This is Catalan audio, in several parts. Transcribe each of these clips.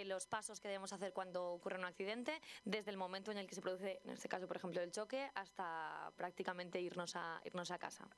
los pasos que debemos hacer cuando ocurre un accidente, desde el momento en el que se produce, en este caso, por ejemplo, el choque, hasta prácticamente irnos a casa.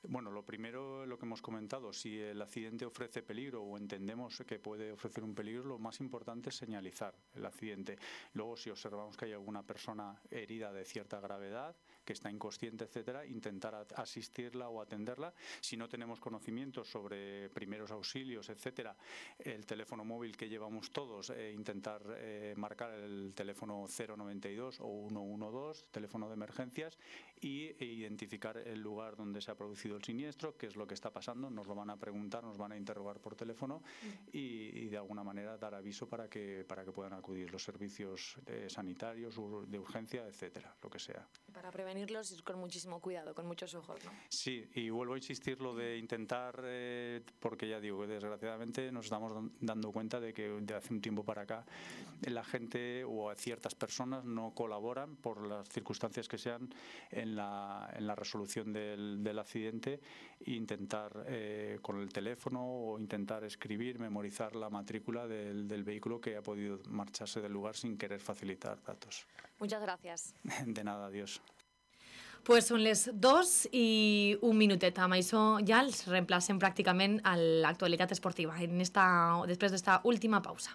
Bueno, lo primero, lo que hemos comentado, si el accidente ofrece peligro o entendemos que puede ofrecer un peligro, lo más importante es señalizar el accidente. Luego, si observamos que hay alguna persona herida de cierta gravedad, que está inconsciente, etcétera, intentar asistirla o atenderla. Si no tenemos conocimientos sobre primeros auxilios, etcétera, el teléfono móvil que llevamos todos, intentar marcar el teléfono 092 o 112, teléfono de emergencias, y identificar el lugar donde se ha producido el siniestro, qué es lo que está pasando. Nos lo van a preguntar, nos van a interrogar por teléfono y de alguna manera dar aviso para que puedan acudir los servicios sanitarios, de urgencia, etcétera, lo que sea. Para prevenirlos ir con muchísimo cuidado, con muchos ojos, ¿no? Sí, y vuelvo a insistir lo de intentar, porque ya digo que desgraciadamente nos estamos dando cuenta de que de hace un tiempo para acá la gente o ciertas personas no colaboran por las circunstancias que sean en la resolución del accidente. Intentar con el teléfono o intentar escribir, memorizar la matrícula del vehículo que ha podido marcharse del lugar sin querer facilitar datos. Muchas gracias. De nada, adiós. Pues són les 2 i un minutet. Amb això ja els reemplacem pràcticament a l'actualitat esportiva després d'esta última pausa.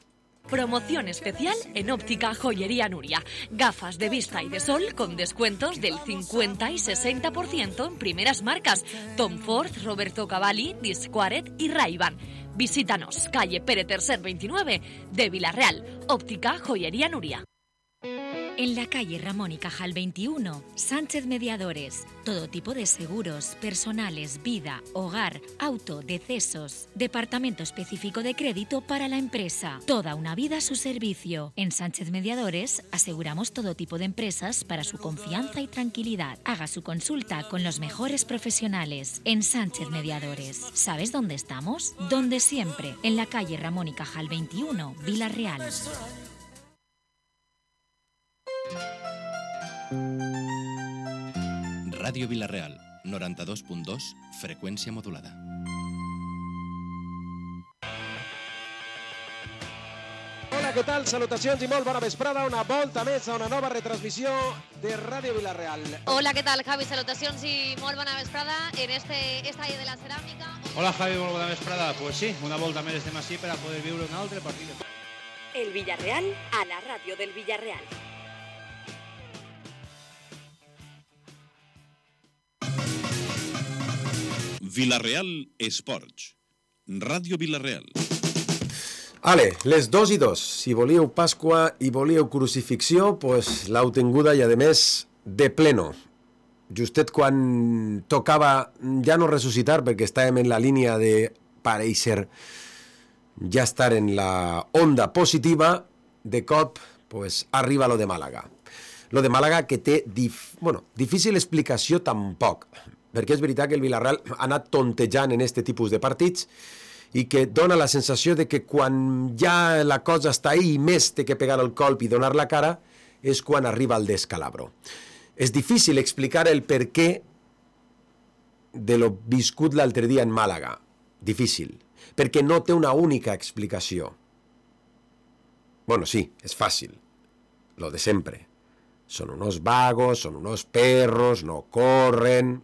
Promoción especial en Óptica Joyería Nuria. Gafas de vista y de sol con descuentos del 50 y 60% en primeras marcas. Tom Ford, Roberto Cavalli, Disquaret y Ray-Ban. Visítanos, calle Pere Tercer 29 de Villarreal. Óptica Joyería Nuria. En la calle Ramón y Cajal 21, Sánchez Mediadores. Todo tipo de seguros, personales, vida, hogar, auto, decesos. Departamento específico de crédito para la empresa. Toda una vida a su servicio. En Sánchez Mediadores aseguramos todo tipo de empresas para su confianza y tranquilidad. Haga su consulta con los mejores profesionales. En Sánchez Mediadores. ¿Sabes dónde estamos? Donde siempre. En la calle Ramón y Cajal 21, Villarreal. Ràdio Vilareal, 92.2, freqüència modulada. Hola, què tal? Salutacions i molt bona vesprada. Una volta més a una nova retransmissió de Ràdio Vilareal. Hola, què tal, Javi? Salutacions i molt bona vesprada en este estadi de la ceràmica. Hola, Javi, molt bona vesprada. Pues sí, una volta més estem així per a poder viure un altre partit. El Villarreal a la ràdio del Villarreal. Vilareal Esports. Ràdio Vilareal. Ale, les 2 i 2. Si volíeu Pasqua i volíeu crucifixió, pues l'heu tinguda i, a més, de pleno. Justet quan tocava ja no ressuscitar, perquè estàvem en la línia de pareixer ja estar en la onda positiva, de cop pues, arriba lo de Màlaga. Lo de Màlaga que té difícil explicació tampoc, perquè és veritat que el Villarreal ha anat tontejant en aquest tipus de partits i que dona la sensació de que quan ja la cosa està ahí i més té que pegar el colp i donar la cara és quan arriba el descalabro. És difícil explicar el per què de lo viscut l'altre dia en Màlaga. Difícil, perquè no té una única explicació. Bueno, sí, és fàcil, lo de sempre. Son unos vagos, son unos perros, no corren.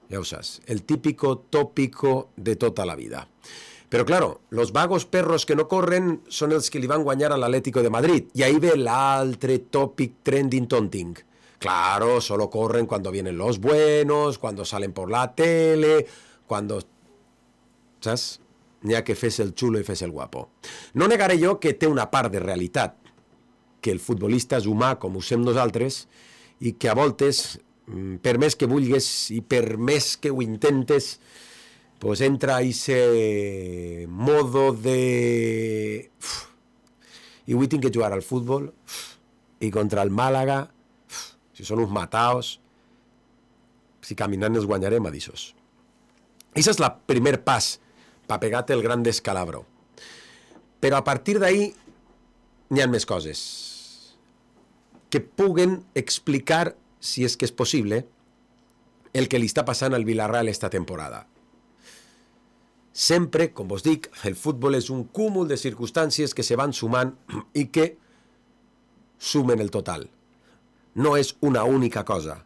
Ya usas, el típico tópico de tota la vida. Pero claro, los vagos perros que no corren son els que li van guanyar a l'Atlético de Madrid. Y ahí ve l'altre topic trending tonting. Claro, solo corren cuando vienen los buenos, cuando salen por la tele, cuando... ¿Saps? N'hi ha que fes el xulo i fes el guapo. No negaré jo que té una part de realitat, que el futbolista és humà, com ho sem nosaltres, i que a voltes, per més que vulgues i per més que ho intentes, pues entra a ese modo de... I avui tinc que jugar al futbol, i contra el Màlaga, si són uns mataos, si caminant els guanyarem, a dissos. Això és el primer pas per pegar-te el gran descalabro. Però a partir d'ahí n'hi ha més coses que puguen explicar, si és que és possible, el que li està passant al Villarreal esta temporada. Sempre, com vos dic, el futbol és un cúmul de circumstàncies que se van sumant i que sumen el total. No és una única cosa.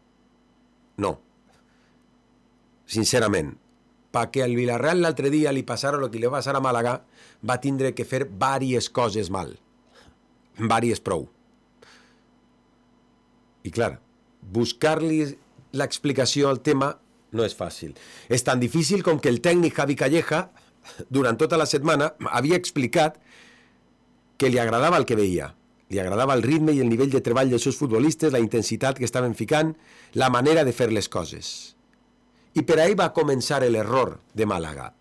No. Sincerament, perquè al Villarreal l'altre dia li passara el que li va passar a Màlaga, va tindre que fer diverses coses mal. Diverses prou. I clar, buscar-li l'explicació al tema no és fàcil. És tan difícil com que el tècnic Javi Calleja, durant tota la setmana, havia explicat que li agradava el que veia. Li agradava el ritme i el nivell de treball dels seus futbolistes, la intensitat que estaven ficant, la manera de fer les coses. I per ahí va començar l'error de Màlaga.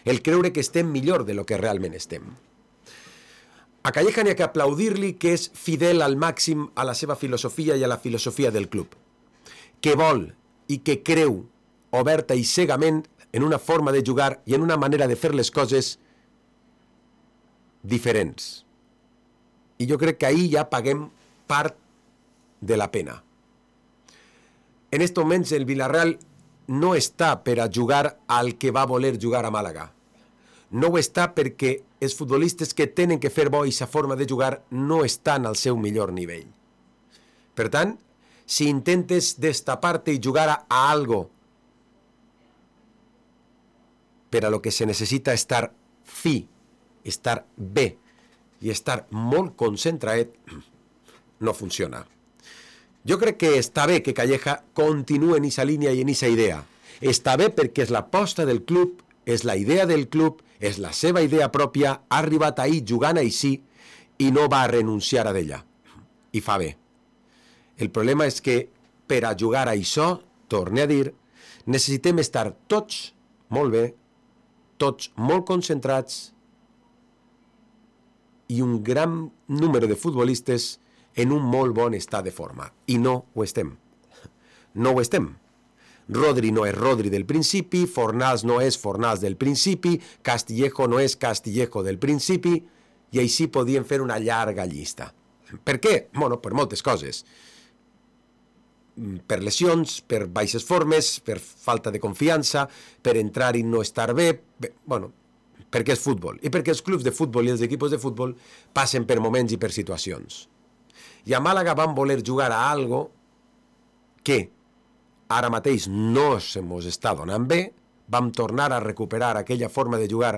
El creure que estem millor de lo que realment estem. A Calleja n'hi ha que aplaudir-li que és fidel al màxim a la seva filosofia i a la filosofia del club. Que vol i que creu oberta i cegament en una forma de jugar i en una manera de fer les coses diferents. I jo crec que ahir ja paguem part de la pena. En aquests moments el Villarreal no està per a jugar al que va voler jugar a Màlaga. No ho està perquè els futbolistes que tenen que fer bo i sa forma de jugar no estan al seu millor nivell. Per tant, si intentes destapar-te i jugar a algo per a lo que se necessita estar fi, estar bé i estar molt concentrat, no funciona. Jo crec que està bé que Calleja continuï en aquesta línia i en aquesta idea. Està bé perquè és l'aposta del club, és la idea del club, és la seva idea pròpia, ha arribat ahir jugant així i no va renunciar a d'ella. I fa bé. El problema és que per a jugar a això, torne a dir, necessitem estar tots molt bé, tots molt concentrats i un gran número de futbolistes en un molt bon estat de forma. I no ho estem. No ho estem. Rodri no és Rodri del principi, Fornals no és Fornals del principi, Castillejo no és Castillejo del principi, i així podíem fer una llarga llista. Per què? Bueno, per moltes coses. Per lesions, per baixes formes, per falta de confiança, per entrar i no estar bé, bueno, perquè és futbol. I perquè els clubs de futbol i els equips de futbol passen per moments i per situacions. I a Màlaga van voler jugar a algo que ara mateix no se mos està donant bé, vam tornar a recuperar aquella forma de jugar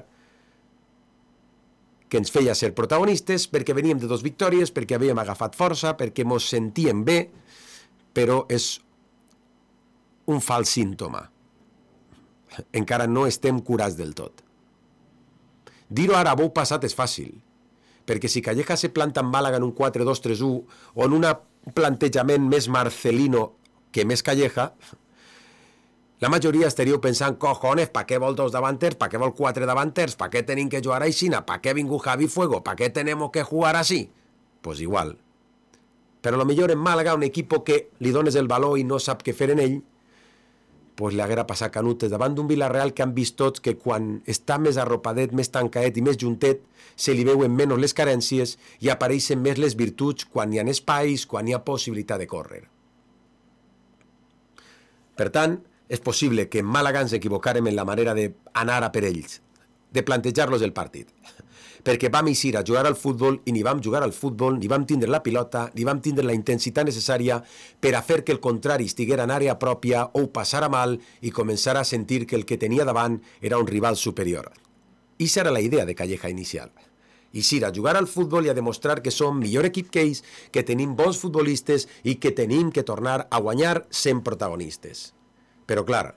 que ens feia ser protagonistes, perquè veníem de 2 victòries, perquè havíem agafat força, perquè mos sentíem bé, però és un fals símptoma. Encara no estem curats del tot. Dir-ho ara a bou passat és fàcil, perquè si Calleja se planta en Màlaga en un 4-2-3-1 o en un plantejament més Marcelino que més Calleja, la majoria estaríeu pensant, cojones, ¿pa què vol 2 davanters? ¿Pa què vol 4 davanters? ¿Pa què tenim que jugar aixina? ¿Pa què ha vingut Javi Fuego? ¿Pa què tenemos que jugar así? Pues igual. Però a lo millor en Màlaga, un equip que li dones el valor i no sap què fer en ell, pues li haguera passat canutes davant d'un Villarreal que han vist tots que quan està més arropadet, més tancadet i més juntet, se li veuen menys les carències i apareixen més les virtuts quan hi ha espais, quan hi ha possibilitat de córrer. Per tant, és possible que en Màlaga ens equivocàrem en la manera d'anar a per ells, de plantejar-los el partit. Perquè vam eixir a jugar al futbol i ni vam jugar al futbol, ni vam tindre la pilota, ni vam tindre la intensitat necessària per a fer que el contrari estiguera en àrea pròpia o ho passara mal i començara a sentir que el que tenia davant era un rival superior. Ixa era la idea de Calleja inicial. Eixir a jugar al futbol i a demostrar que som millor equip que ells, que tenim bons futbolistes i que tenim que tornar a guanyar sent protagonistes. Però clar,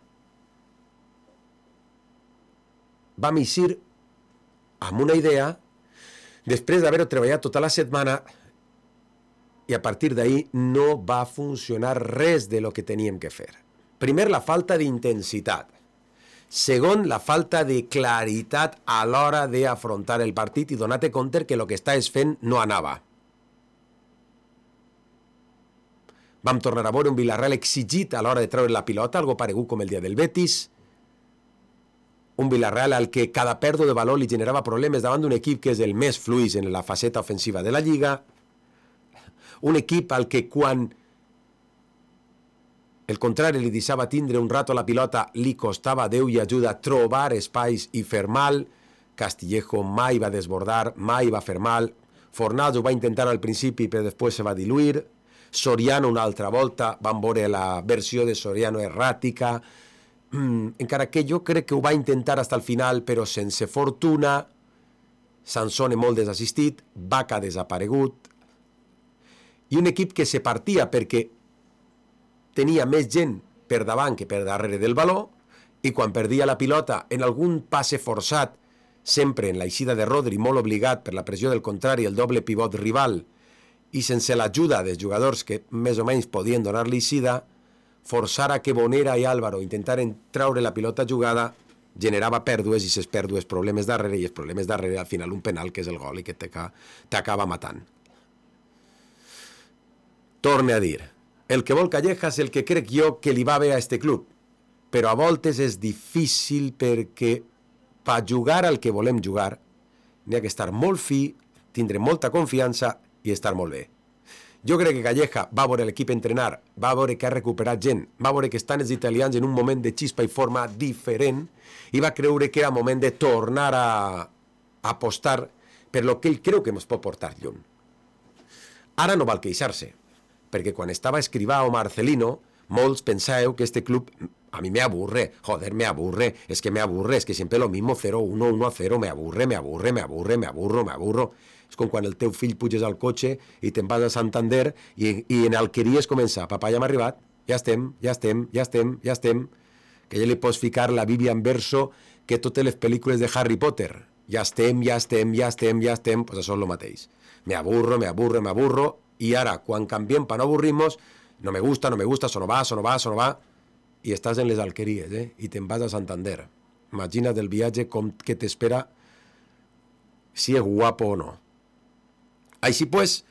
vam eixir amb una idea després d'haver-ho treballat tota la setmana i a partir d'ahir no va funcionar res de lo que teníem que fer. Primer, la falta d'intensitat. Segon, la falta de claritat a l'hora d'afrontar el partit i donar-te compte que el que estàs fent no anava. Vam tornar a veure un Villarreal exigit a l'hora de treure la pilota, algo paregut com el dia del Betis. Un Villarreal al que cada pèrdua de valor li generava problemes davant d'un equip que és el més fluix en la faceta ofensiva de la Lliga. Un equip al que quan el contrari li deixava tindre un rato la pilota, li costava Déu i ajuda trobar espais i fer mal. Castillejo mai va desbordar, mai va fer mal. Fornals ho va intentar al principi, però després se va diluir. Soriano una altra volta, van veure la versió de Soriano erràtica, encara que jo crec que ho va intentar fins al final, però sense fortuna. Sansone molt desassistit, Vaca desaparegut, i un equip que se partia perquè tenia més gent per davant que per darrere del baló, i quan perdia la pilota en algun passe forçat, sempre en l'eixida de Rodri, molt obligat per la pressió del contrari, el doble pivot rival, i sense l'ajuda dels jugadors que més o menys podien donar-li eixida, forçar a que Bonera i Álvaro intentaren traure la pilota jugada, generava pèrdues, i ses pèrdues problemes darrere, i els problemes darrere al final un penal que és el gol i que t'acaba matant. Torne a dir, el que vol Calleja és el que crec jo que li va bé a este club, però a voltes és difícil perquè per jugar al que volem jugar n'hi ha que estar molt fi, tindre molta confiança i estar molt bé. Jo crec que Calleja va veure l'equip entrenar, va veure que ha recuperat gent, va veure que estan els italians en un moment de xispa i forma diferent i va creure que era moment de tornar a apostar per lo que ell creu que ens pot portar lluny. Ara no val queixar-se, perquè quan estava Escrivá o Marcelino, molts pensàveu que este club a mí me aburre, joder, me aburre, es que siempre lo mismo, 0-1, 1-0, me aburro. És com quan el teu fill puges al cotxe i te'n vas a Santander i en Alqueries comença, papà, ja hem arribat, ja estem, que ja li pots ficar la Bíblia en verso que totes les pel·lícules de Harry Potter, ja estem, pues això és el mateix. Me aburro, i ara, quan canviem per no avorrir-nos, no me gusta, això no va, i estàs en les Alqueries, i te'n vas a Santander. Imagina't el viatge com que t'espera, si és guapo o no. Així pues,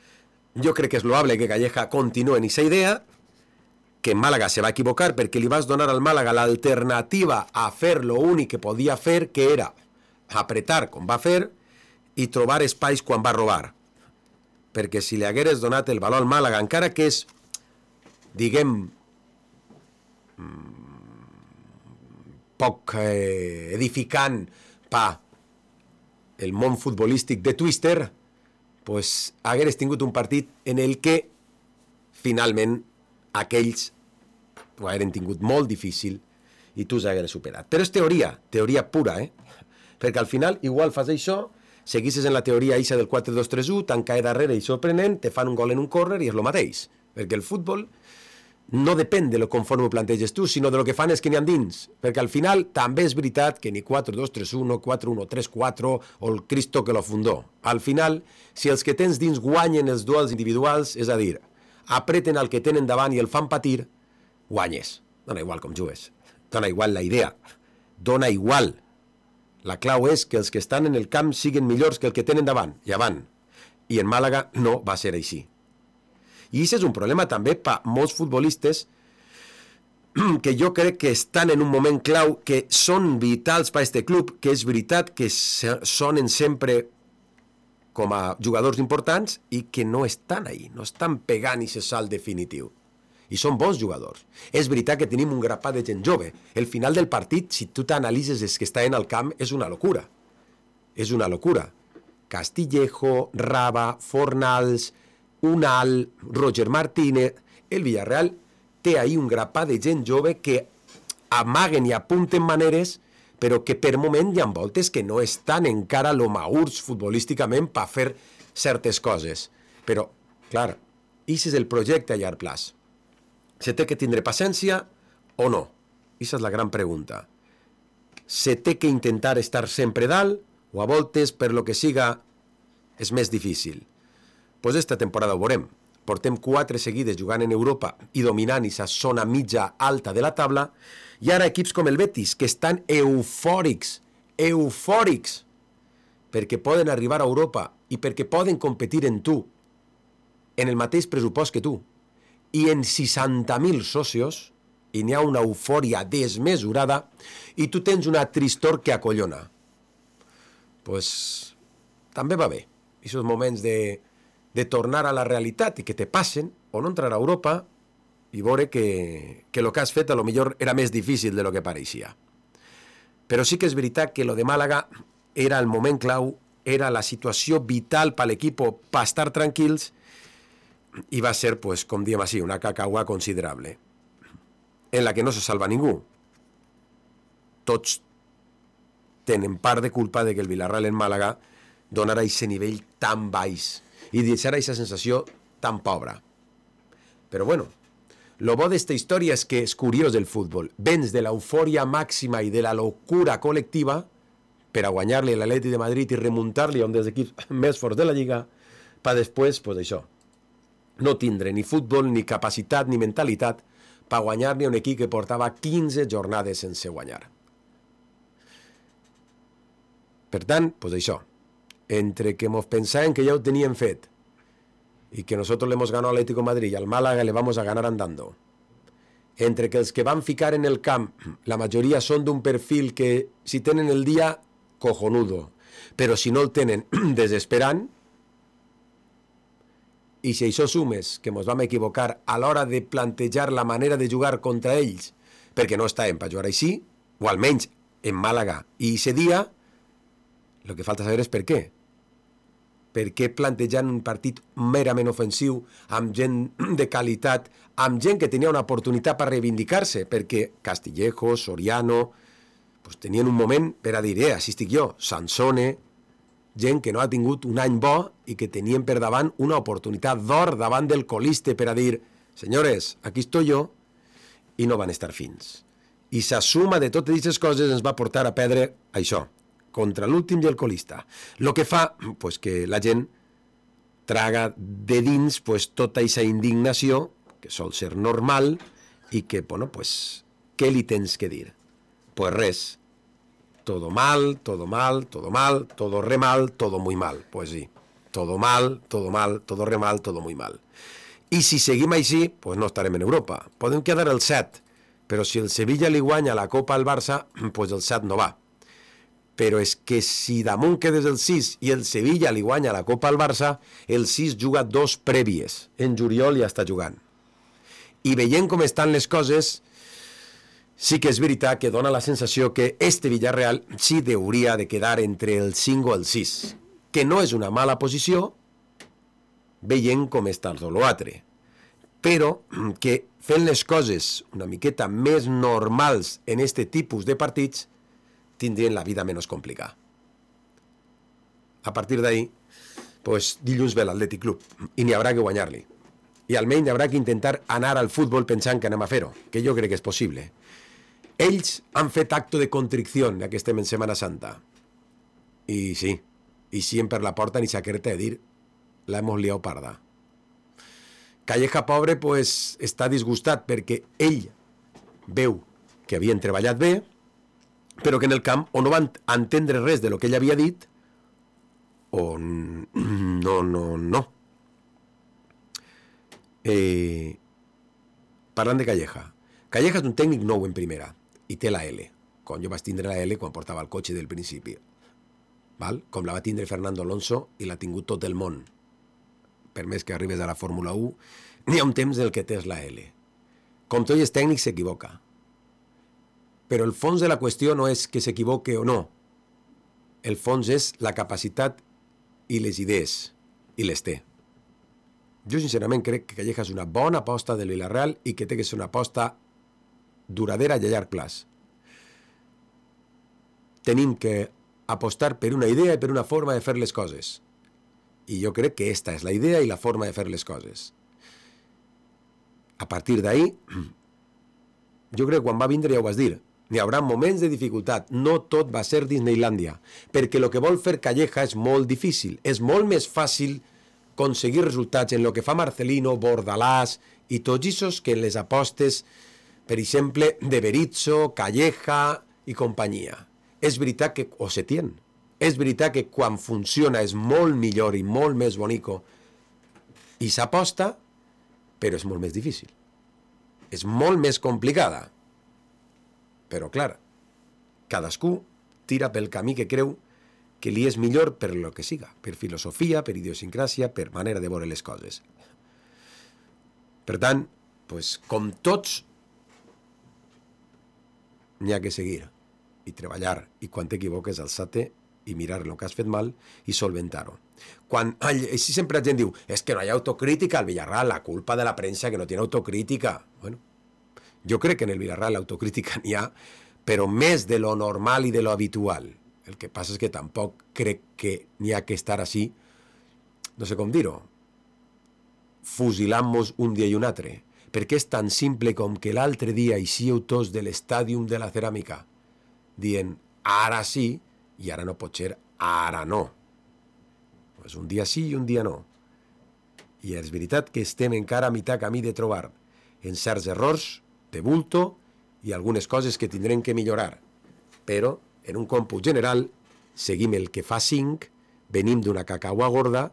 jo crec que és loable que Calleja continue en aquesta idea, que Màlaga se va equivocar perquè li vas donar al Màlaga l'alternativa a fer lo únic que podia fer, que era apretar com va fer i trobar espais quan va robar. Perquè si li hagueres donat el valor al Màlaga, encara que és, diguem, poc edificant per el món futbolístic de Twister, pues hagueres tingut un partit en el que finalment aquells ho hagueren tingut molt difícil i tu s'hagueres superat. Però és teoria pura, perquè al final igual fas això, seguisses en la teoria eixa del 4-2-3-1, tan cae darrere i sorprenent, te fan un gol en un córner i és el mateix, perquè el futbol no depèn de lo conforme ho planteges tu, sinó de lo que fan els que n'hi ha dins, perquè al final també és veritat que ni 4-2-3-1, 4-1-3-4 o el Cristo que lo fundó. Al final, si els que tens dins guanyen els duels individuals, és a dir, apreten el que tenen davant i el fan patir, guanyes. Dona igual com jugues, dona igual la idea, dona igual. La clau és que els que estan en el camp siguin millors que el que tenen davant i avant. I en Màlaga no va ser així. I això és un problema també per molts futbolistes que jo crec que estan en un moment clau, que són vitals per a aquest club, que és veritat que sonen sempre com a jugadors importants i que no estan ahí, no estan pegant aquest salt definitiu. I són bons jugadors. És veritat que tenim un grapat de gent jove. El final del partit, si tu t'analitzes els que estan al camp, és una locura. És una locura. Castillejo, Raba, Fornals, Unal, Roger Martínez, el Villarreal té ahí un grapat de gent jove que amaguen i apunten maneres, però que per moment hi ha voltes que no estan encara lo maurs futbolísticament per fer certes coses. Però, clar, això és el projecte a llarg plaç. Se té que tindre paciència o no? Aquesta és la gran pregunta. Se té que intentar estar sempre dalt o a voltes, per lo que siga, és més difícil? Pues esta temporada ho veurem. Portem 4 seguides jugant en Europa i dominant aquesta zona mitja alta de la taula, i ara equips com el Betis, que estan eufòrics, perquè poden arribar a Europa i perquè poden competir en tu, en el mateix pressupost que tu, i en 60.000 socios, i n'hi ha una eufòria desmesurada, i tu tens una tristor que acollona. Pues també va bé. Aquests moments de tornar a la realitat i que te passen, o no entrar a Europa, i veure que el que has fet a lo millor era més difícil de lo que pareixia. Però sí que és veritat que lo de Màlaga era el moment clau, era la situació vital per l'equip per estar tranquils, i va ser, pues, com diem així, una cacaua considerable, en la que no se salva ningú. Tots tenen part de culpa de que el Villarreal en Màlaga donara aquest nivell tan baix i deixara aquesta sensació tan pobra. Però bueno, lo bo d'esta història és que és curiós del futbol. Vens de l'eufòria màxima i de la locura col·lectiva per a guanyar-li a l'Atlètic de Madrid i remuntar-li a un dels equips més forts de la Lliga, per després, pues això, no tindre ni futbol, ni capacitat, ni mentalitat per guanyar-li a un equip que portava 15 jornades sense guanyar. Per tant, pues això, entre que mos pensaven que ja ho tenien fet y que nosotros le hemos ganado al Atlético de Madrid y al Málaga le vamos a ganar andando, entre que els que van ficar en el camp, la majoria són d'un perfil que si tenen el dia, cojonudo, però si no el tenen, desesperant, i si això sumes que ens vam equivocar a l'hora de plantejar la manera de jugar contra ells, perquè no estàvem per jugar així, o almenys en Màlaga i aquest dia, el que falta saber és per què. Per què plantejant un partit merament ofensiu, amb gent de qualitat, amb gent que tenia una oportunitat per reivindicar-se, perquè Castillejo, Soriano, pues tenien un moment per a dir, així estic jo, Sansone, gent que no ha tingut un any bo i que tenien per davant una oportunitat d'or davant del coliste per a dir, senyores, aquí estoy yo, i no van estar fins. I la suma de totes aquestes coses ens va portar a perdre això, contra l'últim i el colista. Lo que fa, pues, que la gent traga de dins, pues, tota aquesta indignació, que sol ser normal, i que, bueno, pues, què li tens que dir? Pues res. Todo mal, todo mal, todo mal, todo re mal, todo muy mal. Pues sí. Todo mal, todo re mal, todo muy mal. I si seguim així, pues no estarem en Europa. Podem quedar el 7, però si el Sevilla li guanya la Copa al Barça, pues el 7 no va. Però és que si damunt quedes el 6 i el Sevilla li guanya la Copa al Barça, el 6 juga 2 prèvies. En juliol ja està jugant. I veient com estan les coses, sí que és veritat que dona la sensació que este Villarreal sí hauria de quedar entre el 5 o el 6, que no és una mala posició, veient com està el l'altre, però que fent les coses una miqueta més normals en este tipus de partits, tindrien la vida menys complicada. A partir d'ahí, pues, dilluns ve l'Atlètic Club i n'hi haurà que guanyar-li. I almenys haurà que intentar anar al futbol pensant que anem a fer-ho, que jo crec que és possible. Ells han fet acto de contrició, ja que estem en Setmana Santa. I sí, i si per la porta ni s'aquerta de dir, la hemos liado parda. Calleja, pobre, pues, està disgustat perquè ell veu que havien treballat bé, però que en el camp o no van entendre res de lo que ell havia dit, o no. Parlant de Calleja. Calleja és un tècnic nou en primera, i té la L. Quan jo vaig tindre la L quan portava el cotxe del principi. Val? Com la va tindre Fernando Alonso i l'ha tingut tot el món. Per més que arribes a la Fórmula 1, n'hi ha un temps en què tens la L. Com tot és tècnic, s'equivoca. Però el fons de la qüestió no és que s'equivoque o no. El fons és la capacitat i les idees, i les té. Jo sincerament crec que Calleja és una bona aposta del Villarreal i que té que ser una aposta duradera i a llarg plaç. Tenim que apostar per una idea i per una forma de fer les coses. I jo crec que esta és la idea i la forma de fer les coses. A partir d'ahí, jo crec que quan va vindre ja ho vas dir, n'hi haurà moments de dificultat, no tot va ser Disneylandia, perquè el que vol fer Calleja és molt difícil, és molt més fàcil aconseguir resultats en el que fa Marcelino, Bordalàs i tots aquests que en les apostes, per exemple, de Berizzo, Calleja i companyia. És veritat que, o Setién, és veritat que quan funciona és molt millor i molt més bonico i s'aposta, però és molt més difícil. És molt més complicada. Però, clar, cadascú tira pel camí que creu que li és millor per lo que siga, per filosofia, per idiosincràsia, per manera de veure les coses. Per tant, pues, com tots, n'hi ha que seguir i treballar, i quan t'equivoques alçar-te i mirar el que has fet mal i solventar-ho. Quan així sempre la gent diu és que no hi ha autocrítica al Villarreal, la culpa de la premsa que no tiene autocrítica. Bueno, jo crec que en el Villarreal l'autocrítica n'hi ha, però més de lo normal i de lo habitual. El que passa és que tampoc crec que n'hi ha que estar així, no sé com dir-ho, fusilant-nos un dia i un altre, perquè és tan simple com que l'altre dia eixíeu tots de l'estàdium de la ceràmica dient ara sí i ara no pot ser ara no. Pues un dia sí i un dia no. I és veritat que estem encara a mitjà camí de trobar en certs errors de bulto i algunes coses que tindrem que millorar. Però, en un còmput general, seguim el que fa 5, venim d'una cacaua gorda,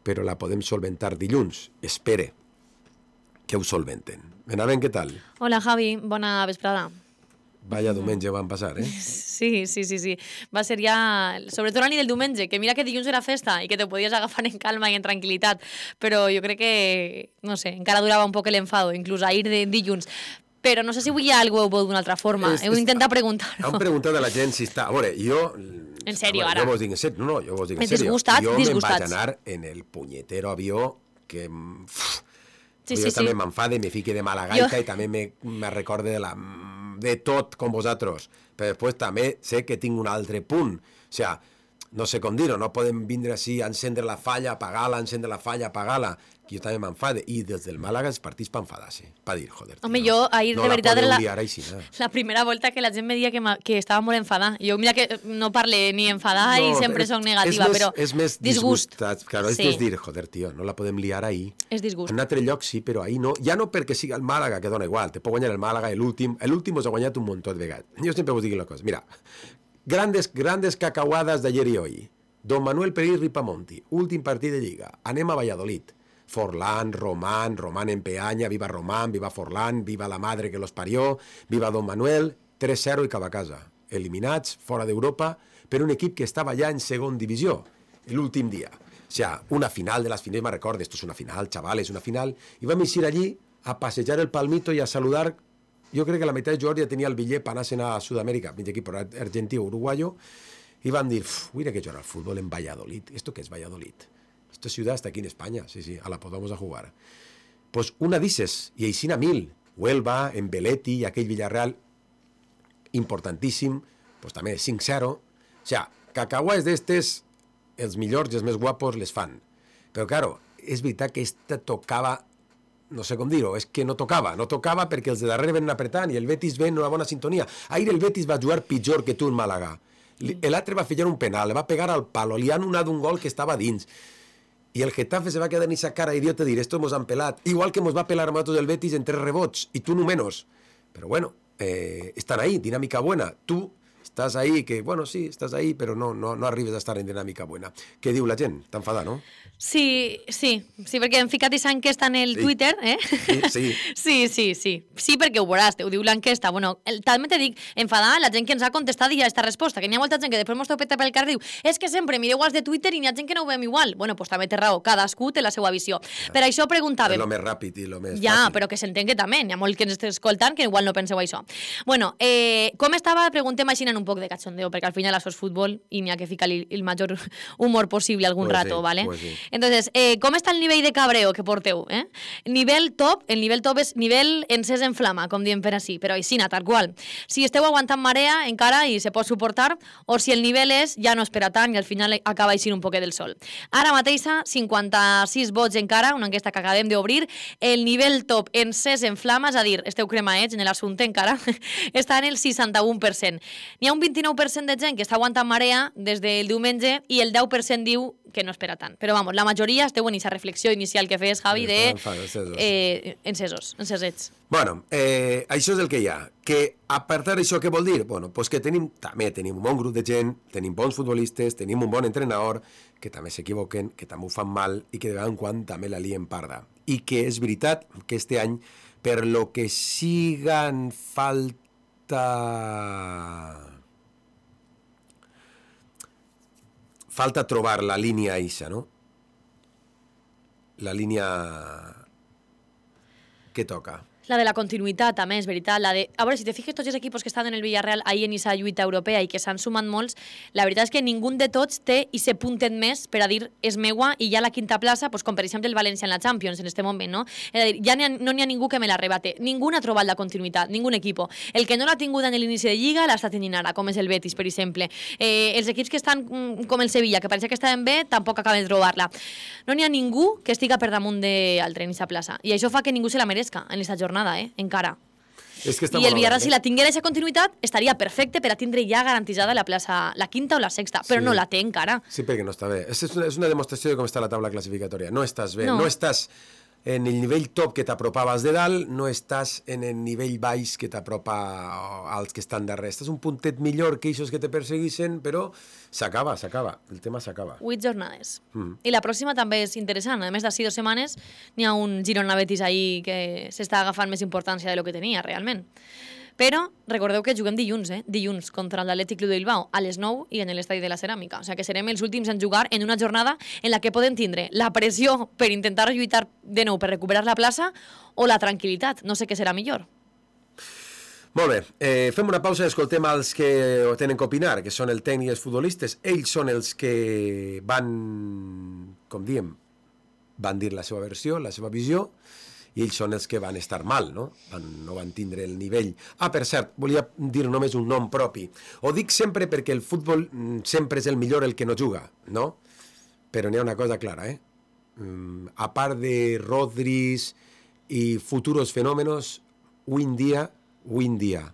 però la podem solventar dilluns. Espere que ho solventen. Benavent, què tal? Hola, Javi. Bona vesprada. Vaya diumenge van passar, eh? Sí. Va ser ja... Sobretot la nit del diumenge, que mira que dilluns era festa i que te podies agafar en calma i en tranquil·litat, però jo crec que, no sé, encara durava un poc l'enfado, inclús ahir de dilluns. Però no sé si avui algú ho veu d'una altra forma. Heu d'intentar preguntar-ho. Han preguntat a la gent si està... A veure, jo... En sèrio, ara? Jo vos dic en sèrio. No, jo vos dic en sèrio. Disgustats? Jo me'n vaig anar en el punyetero avió que... Sí. també m'enfade, me fique de mala gaita i també me recorde de tot com vosaltres. Però després també sé que tinc un altre punt. O sigui, no sé com dir-ho, no podem vindre així a encendre la falla, apagar-la, encendre la falla, apagar-la. Que jo també m'enfade. I des del Màlaga els partits per enfadar-se. Per dir, joder, tio, home, jo ahir de veritat era la primera volta que la gent me dia que estava molt enfadada. Jo mira que no parle ni enfadada i sempre soc negativa, però és més disgust. Claro, és dir, joder, tio, no la podem liar ahir. És disgust. En un altre lloc sí, però ahir no. Ja no perquè siga el Màlaga, que dona igual. Te pot guanyar el Màlaga, l'últim us ha guanyat un muntó de vegades. Jo sempre vos dic una cosa. Mira, grandes cacahuades d'ayer i hoy. Don Manuel Peris Ripamonti, últim partit de Lliga. Anem a Valladolid. Forlán, Román en peanya, viva Román, viva Forlán, viva la madre que los parió, viva Don Manuel, 3-0 i cap a casa. Eliminats, fora d'Europa, per un equip que estava ja en segon divisió, l'últim dia. O sea, una final de las finales, me recordo, esto es una final, chavales, una final, i vam ir allí a passejar el palmito i a saludar. Jo crec que la meitat de jugadors ja tenia el bitllet per anar a Sud-amèrica, mig equip argentí o uruguayo, i van dir, mira que jugar al fútbol en Valladolid. ¿Esto qué es Valladolid? Esta ciudad está aquí en España, sí, a la podamos a jugar. Pues una dices, y Aixina mil, Huelva, en Belletti i aquell Villarreal, importantíssim, pues també 5-0. O sea, cacahues d'estes, els millors i els més guapos les fan. Però, claro, és veritat que esta tocava, no sé com dir-ho, és que no tocava perquè els de darrere venen apretant i el Betis ven una bona sintonia. Ahir el Betis va jugar pitjor que tu en Màlaga. L'altre va fallar un penal, le va pegar al palo, li han donat un gol que estava dins. I el Getafe se va quedar en esa cara idiota de dir, esto mos han pelat. Igual que mos va pelar a nosotros el Betis en 3 rebots, y tú no menos. Pero bueno, están ahí, dinámica buena. Tú estás ahí, que bueno, sí, estás ahí, pero no arribes a estar en dinàmica buena. Què diu la gent? Està enfadada, no? Sí, perquè hem ficat aquesta enquesta en el Twitter, eh? Sí. Sí, perquè ho veuràs, ho diu l'enquesta. Bueno, també te dic, enfadada la gent que ens ha contestat i ja aquesta resposta, que n'hi ha molta gent que després mos topeta pel carrer i diu, és que sempre mireu els de Twitter i n'hi ha gent que no ho veiem igual. Bueno, doncs també té raó, cadascú té la seva visió. Per això preguntàvem... És el més ràpid i el més fàcil. Ja, però que s'entén que també, n'hi ha molt que ens estan escoltant que igual no penseu això. Bueno, com estava, preguntem així en un poc de cachondeo, perquè al final això és futbol i n'hi ha que ficar-li el major humor possible algun rato, ¿vale? Pues sí. Entonces, ¿cómo está el nivell de cabreo que porteu? Nivell top, el nivell top és nivell encès en flama, com diem per així, però així, tal qual. Si esteu aguantant marea encara i se pot suportar, o si el nivell és ja no espera tant i al final acaba així un poquet del sol. Ara mateixa, 56 vots encara, una enquesta que acabem d'obrir, el nivell top encès en flama, és a dir, esteu cremaets en l'assumpte encara, està en el 61%. N'hi ha un 29% de gent que està aguantant marea des del diumenge i el 10% diu que no espera tant. Però vamos, la majoria esteu en aquesta reflexió inicial que feies, Javi, de encesets. Bueno, això és el que hi ha. Que apartar això què vol dir? Bueno, pues que també tenim un bon grup de gent, tenim bons futbolistes, tenim un bon entrenador, que també s'equivoquen, que també ho fan mal i que de vegades en quan també la lien parda. I que és veritat que este any, per lo que sigan falta trobar la línia eixa, no? La línia que toca. La de la continuïtat, també, és veritat. La de... A veure, si te fiques, tots els equips que estan en el Villarreal ahir en aquesta lluita europea i que s'han sumat molts, la veritat és que ningú de tots té i se punten més per a dir és meua i ja la quinta plaça, pues, com per exemple el València en la Champions en aquest moment, no? És a dir, ja no n'hi ha ningú que me l'arrebate. Ningú ha trobat la continuïtat, ningú equip. El que no l'ha tingut en l'inici de Lliga l'està tenint ara, com és el Betis, per exemple. Els equips que estan com el Sevilla, que pareixia que estaven bé, tampoc acaben de trobar-la. No n'hi ha ningú que estiga per damunt d'altre en aquesta plaça. I això fa que ningú se la merezca en aquesta jornada, encara. És que I el Villarreal, si la tinguera aquesta continuïtat, estaria perfecte per a tindre ja garantitzada la plaça, la quinta o la sexta, però no la té encara. Sí, perquè no està bé. És una demostració de com està la taula classificatòria. No estàs bé, no estàs en el nivell top que t'apropaves de dalt, no estàs en el nivell baix que t'apropa als que estan darrere. Estàs un puntet millor que aquests que te perseguissin, però s'acaba, el tema s'acaba. 8 jornades. I la pròxima també és interessant. A més d'ací 2 setmanes, n'hi ha un Girona-Betis ahí que s'està agafant més importància de lo que tenia, realment. Però recordeu que juguem dilluns, dilluns contra l'Atlètic Club de Bilbao a les 9 i en l'Estadi de la Ceràmica. O sigui que serem els últims en jugar en una jornada en la que poden tindre la pressió per intentar lluitar de nou per recuperar la plaça o la tranquil·litat. No sé què serà millor. Molt bé, fem una pausa i escoltem els que tenen que opinar, que són el tècnic i els futbolistes. Ells són els que van, com diem, van dir la seva versió, la seva visió, i ells són els que van estar mal, no? No van tindre el nivell. Per cert, volia dir només un nom propi. Ho dic sempre perquè el futbol sempre és el millor el que no juga, no? Però n'hi ha una cosa clara, a part de Rodris i futuros fenòmenos, avui en dia,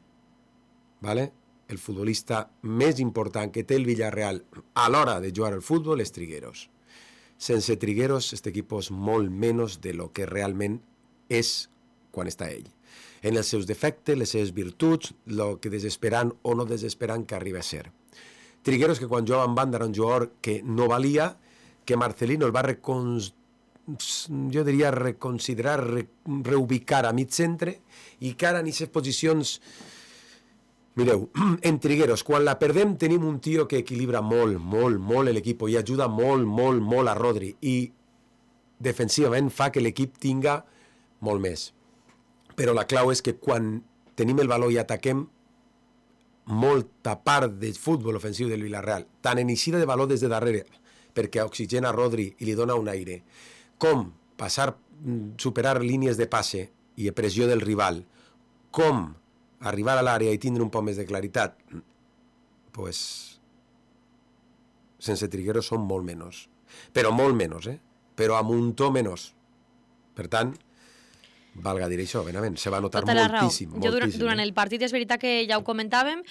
¿vale? El futbolista més important que té el Villarreal a l'hora de jugar al futbol és Trigueros. Sense Trigueros, este equip és molt menys de lo que realment és quan està ell. En els seus defectes, les seves virtuts, el que desesperant o no desesperant que arriba a ser. Trigueros, que quan jugava en banda era un jugador que no valia, que Marcelino el va reconsiderar, reubicar a mig centre, i que ara en aquestes posicions... Mireu, en Trigueros, quan la perdem tenim un tio que equilibra molt l'equip i ajuda molt a Rodri, i defensivament fa que l'equip tinga molt més. Però la clau és que quan tenim el valor i ataquem, molta part del futbol ofensiu del Villarreal, tant en eixida de valor des de darrere, perquè oxigena Rodri i li dona un aire, com superar línies de passe i pressió del rival, com arribar a l'àrea i tindre un poc més de claritat, pues, sense Trigueros són molt menys. Però molt menys, però a muntó menys. Per tant, valga dir això, benament, se va notar moltíssim. Jo durant el partit és veritat que ja ho comentàvem,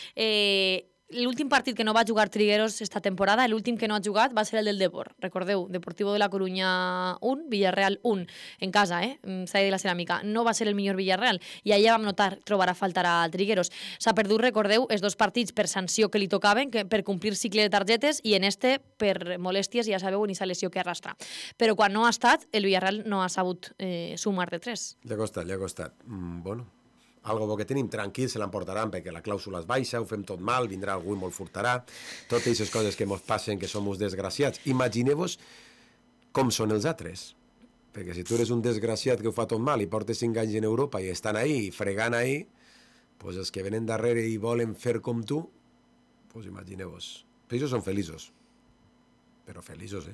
l'últim partit que no va jugar Trigueros esta temporada, l'últim que no ha jugat va ser el del Depor. Recordeu, Deportivo de la Coruña 1, Villarreal 1, en casa, Estadi de la Ceràmica. No va ser el millor Villarreal i allà vam notar trobar a faltar a Trigueros. S'ha perdut, recordeu, els 2 partits per sanció que li tocaven, per complir cicle de targetes, i en este per molèsties, ja sabeu, en aquesta lesió que arrastra. Però quan no ha estat, el Villarreal no ha sabut sumar de 3. Li ha costat. Bueno, algo bo que tenim, tranquil, se l'emportaran perquè la clàusula és baixa, ho fem tot mal, vindrà algú i molt furtarà, totes aquestes coses que ens passen, que som uns desgraciats. Imagineu-vos com són els altres, perquè si tu eres un desgraciat que ho fa tot mal i portes 5 anys en Europa i estan ahí, fregant ahí, pues els que venen darrere i volen fer com tu, pues imagineu-vos. Ells són feliços, pero feliços,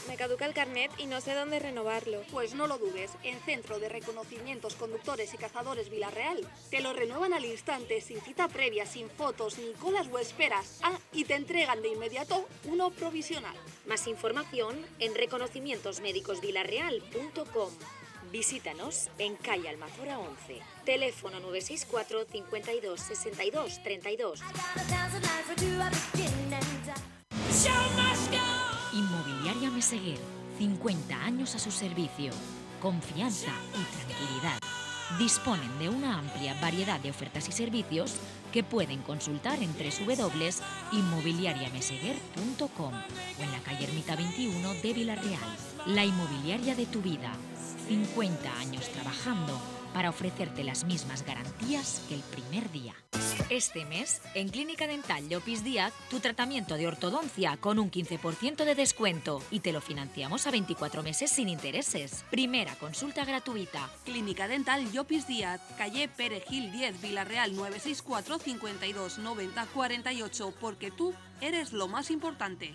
Me caduca el carnet y no sé dónde renovarlo. Pues no lo dudes, en Centro de Reconocimientos Conductores y Cazadores Villarreal te lo renuevan al instante, sin cita previa, sin fotos, ni colas o esperas. Y te entregan de inmediato uno provisional. Más información en reconocimientosmédicosvillarreal.com. Visítanos en calle Almazora 11. Teléfono 964 52 62 32. Inmobiliaria Meseguer, 50 años a su servicio. Confianza y tranquilidad. Disponen de una amplia variedad de ofertas y servicios que pueden consultar en www.inmobiliariameseguer.com o en la calle Ermita 21 de Villarreal. La inmobiliaria de tu vida. 50 años trabajando para ofrecerte las mismas garantías que el primer día. Este mes, en Clínica Dental Llopis Díaz, tu tratamiento de ortodoncia con un 15% de descuento y te lo financiamos a 24 meses sin intereses. Primera consulta gratuita. Clínica Dental Llopis Díaz, calle Pere Gil 10, Villarreal 964 52 90 48, porque tú eres lo más importante.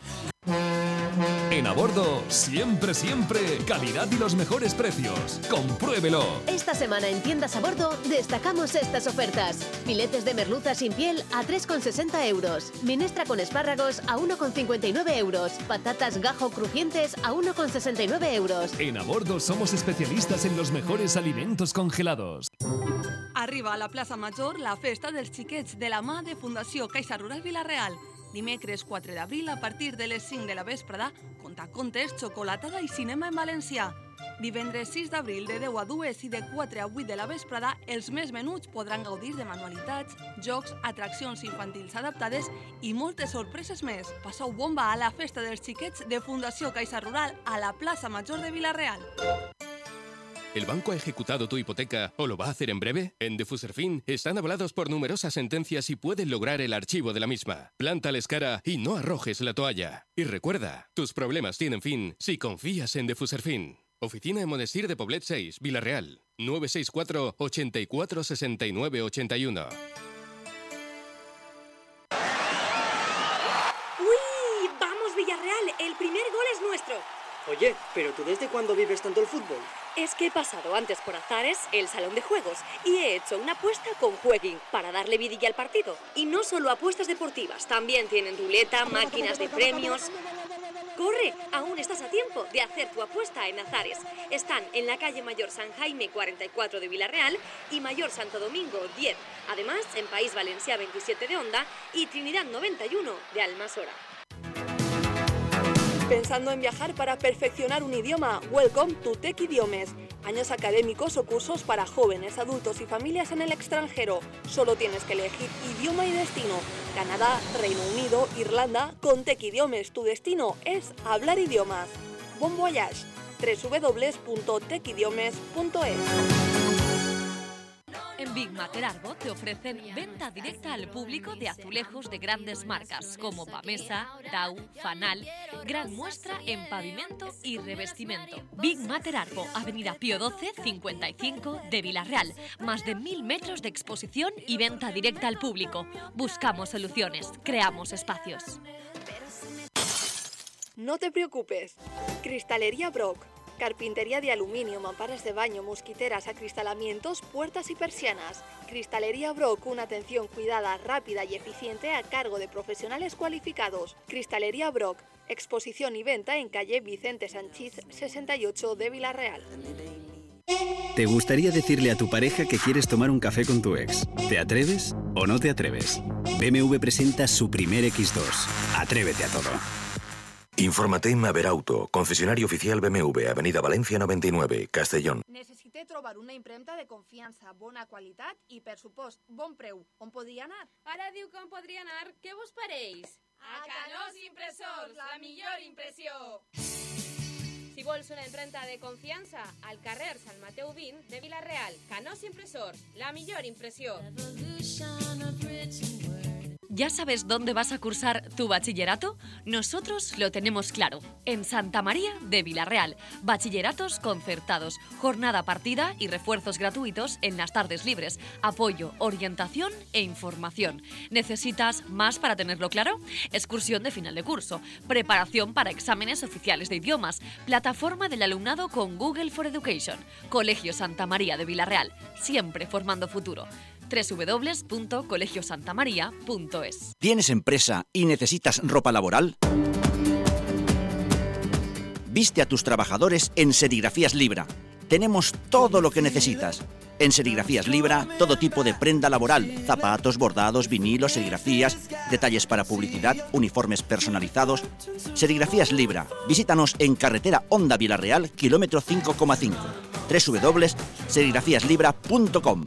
En A Bordo, siempre, calidad y los mejores precios. Compruébelo. Esta semana en Tiendas A Bordo destacamos estas ofertas. Filetes de merluza sin piel a 3,60 euros. Minestra con espárragos a 1,59 euros. Patatas gajo crujientes a 1,69 euros. En A Bordo somos especialistas en los mejores alimentos congelados. Arriba a la Plaça Major la festa dels xiquets de la mà de Fundació Caixa Rural Vila-real. Dimecres 4 d'abril, a partir de les 5 de la vesprada, contacontes, xocolatada i cinema en valencià. Divendres 6 d'abril, de 10 a 2 i de 4 a 8 de la vesprada, els més menuts podran gaudir de manualitats, jocs, atraccions infantils adaptades i moltes sorpreses més. Passeu bomba a la festa dels xiquets de Fundació Caixa Rural a la Plaça Major de Vila-real. ¿El banco ha ejecutado tu hipoteca o lo va a hacer en breve? En Defuserfin están avalados por numerosas sentencias y pueden lograr el archivo de la misma. Plántales cara y no arrojes la toalla. Y recuerda, tus problemas tienen fin si confías en Defuserfin. Oficina en Monestir de Poblet 6, Vila-real. 964 84 69 81. ¡Uy! ¡Vamos, Villarreal! El primer gol es nuestro. Oye, ¿pero tú desde cuándo vives tanto el fútbol? Es que he pasado antes por Azares, el salón de juegos, y he hecho una apuesta con Jueguin para darle vidilla al partido. Y no solo apuestas deportivas, también tienen ruleta, máquinas de premios. ¡Corre! Aún estás a tiempo de hacer tu apuesta en Azares. Están en la calle Mayor San Jaime 44 de Vila-real y Mayor Santo Domingo 10. Además, en País Valencià 27 de Onda y Trinidad 91 de Almasora. ¿Pensando en viajar para perfeccionar un idioma? Welcome to Tech Idiomes. Años académicos o cursos para jóvenes, adultos y familias en el extranjero. Solo tienes que elegir idioma y destino. Canadá, Reino Unido, Irlanda. Con Tech Idiomes tu destino es hablar idiomas. Bon voyage. www.techidiomes.es. En Big Mater Arbo te ofrecen venta directa al público de azulejos de grandes marcas como Pamesa, Dau, Fanal, gran muestra en pavimento y revestimiento. Big Mater Arbo, Avenida Pío 12, 55 de Vila-real. Más de 1000 metros de exposición y venta directa al público. Buscamos soluciones, creamos espacios. No te preocupes. Cristalería Brock. Carpintería de aluminio, mamparas de baño, mosquiteras, acristalamientos, puertas y persianas. Cristalería Brock, una atención cuidada, rápida y eficiente a cargo de profesionales cualificados. Cristalería Brock, exposición y venta en calle Vicente Sanchís 68 de Vila-real. ¿Te gustaría decirle a tu pareja que quieres tomar un café con tu ex? ¿Te atreves o no te atreves? BMW presenta su primer X2. Atrévete a todo. Infórmate en Maverauto, concesionario oficial BMW, Avenida Valencia 99, Castellón. Necessité trobar una impremta de confiança, bona qualitat i, per supost, bon preu. On podria anar? Ara diu que on podria anar. Què vos pareix? A Canós Impressors, la millor impressió! Si vols una impremta de confiança, al carrer Sant Mateu 20 de Vila-real, Canós Impressors, la millor impressió. ¿Ya sabes dónde vas a cursar tu bachillerato? Nosotros lo tenemos claro. En Santa María de Vila-real. Bachilleratos concertados, jornada partida y refuerzos gratuitos en las tardes libres. Apoyo, orientación e información. ¿Necesitas más para tenerlo claro? Excursión de final de curso. Preparación para exámenes oficiales de idiomas. Plataforma del alumnado con Google for Education. Colegio Santa María de Vila-real. Siempre formando futuro. www.colegiosantamaria.es. ¿Tienes empresa y necesitas ropa laboral? Viste a tus trabajadores en Serigrafías Libra. Tenemos todo lo que necesitas. En Serigrafías Libra, todo tipo de prenda laboral, zapatos, bordados, vinilos, serigrafías, detalles para publicidad, uniformes personalizados. Serigrafías Libra. Visítanos en carretera Onda Vila-real, kilómetro 5,5. www.serigrafiaslibra.com.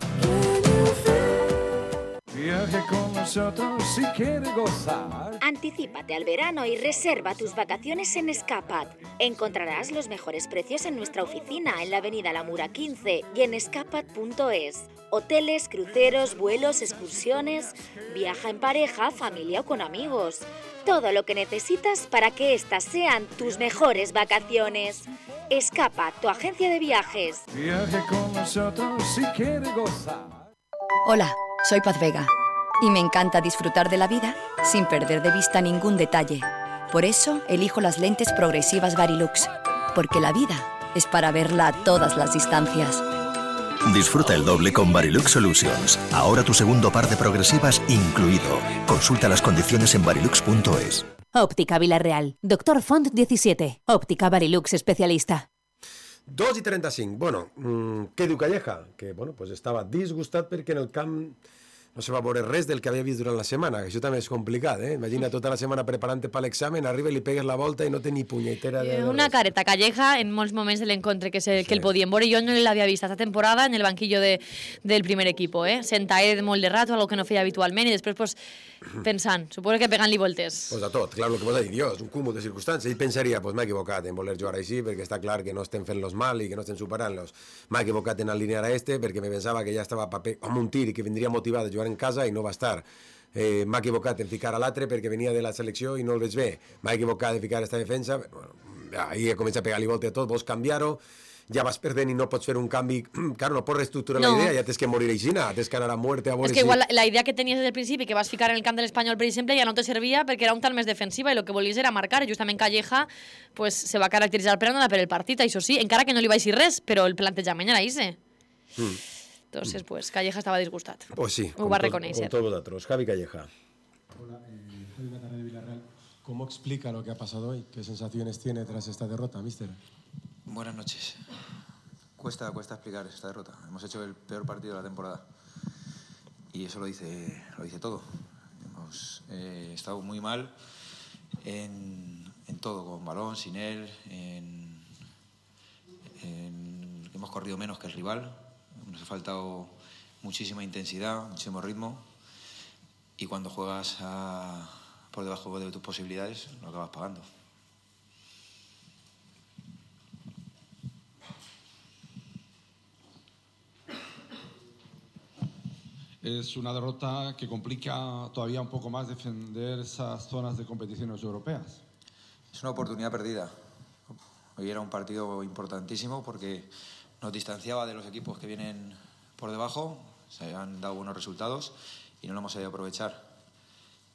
Viaje con nosotros si quiere gozar. Anticípate al verano y reserva tus vacaciones en Escapat. Encontrarás los mejores precios en nuestra oficina en la avenida La Mura 15 y en escapat.es. Hoteles, cruceros, vuelos, excursiones. Viaja en pareja, familia o con amigos. Todo lo que necesitas para que estas sean tus mejores vacaciones. Escapat, tu agencia de viajes. Viaje con nosotros si quiere gozar. Hola, soy Paz Vega y me encanta disfrutar de la vida sin perder de vista ningún detalle. Por eso elijo las lentes progresivas Varilux, porque la vida es para verla a todas las distancias. Disfruta el doble con Varilux Solutions. Ahora tu segundo par de progresivas incluido. Consulta las condiciones en varilux.es. Óptica Vilareal. Doctor Font 17. Óptica Varilux especialista. 2:35. Bueno, què diu Calleja? Que, bueno, pues estava disgustat perquè en el camp no se va veure res del que havia vist durant la setmana, que això també és complicat, eh? Imagina tota la setmana preparant-te per l'examen, arriba i li pegues la volta i no té ni punyetera de... Una careta Calleja en molts moments de l'encontre que el podien veure. Jo no l'havia vist esta temporada en el banquillo del primer equipo, sentadet molt de rato, algo que no feia habitualment, i després pues, pensant, suposo que pegant-li voltes. Pues a tot, clar, el que vas dir, Dios, un cúmul de circumstàncies. Ell pensaria, pues m'he equivocat en voler jugar així, perquè està clar que no estem fent-los mal i que no estem superant-los. M'he equivocat en alinear a perquè me pensava que ja estava amb un tir i que vindria motivat a jugar en casa i no va estar. M'ha equivocat en ficar a l'altre perquè venia de la selecció i no el veig bé. M'ha equivocat en ficar esta defensa. Bueno, ahir comença a pegar-li volta a tot, vols canviar-ho, ja vas perdent i no pots fer un canvi. Claro, no pots reestructurar la idea, ja tens que morir aixina, tens que anar a muerte a veure és que igual la idea que tenies des del principi, que vas ficar en el camp de l'Espanyol, per exemple, ja no te servia perquè era un tal més defensiva i el que volies era marcar. Justament Calleja pues, se va caracteritzar per anar per el partit, això sí, encara que no li va dir res, però el plantejament era ese. Entonces, pues, Calleja estaba disgustat. Pues sí, ho va reconocer. Con todos vosotros. Javi Calleja. Hola, Javi Matarré de Villarreal. ¿Cómo explica lo que ha pasado hoy? ¿Qué sensaciones tiene tras esta derrota, mister? Buenas noches. Cuesta explicar esta derrota. Hemos hecho el peor partido de la temporada. Y eso lo dice todo. Hemos estado muy mal en todo, con balón, sin él. Hemos corrido menos que el rival. Nos ha faltado muchísima intensidad, muchísimo ritmo, y cuando juegas por debajo de tus posibilidades lo acabas pagando. Es una derrota que complica todavía un poco más defender esas zonas de competiciones europeas. Es una oportunidad perdida. Hoy era un partido importantísimo porque nos distanciaba de los equipos que vienen por debajo, se han dado buenos resultados y no lo hemos sabido aprovechar.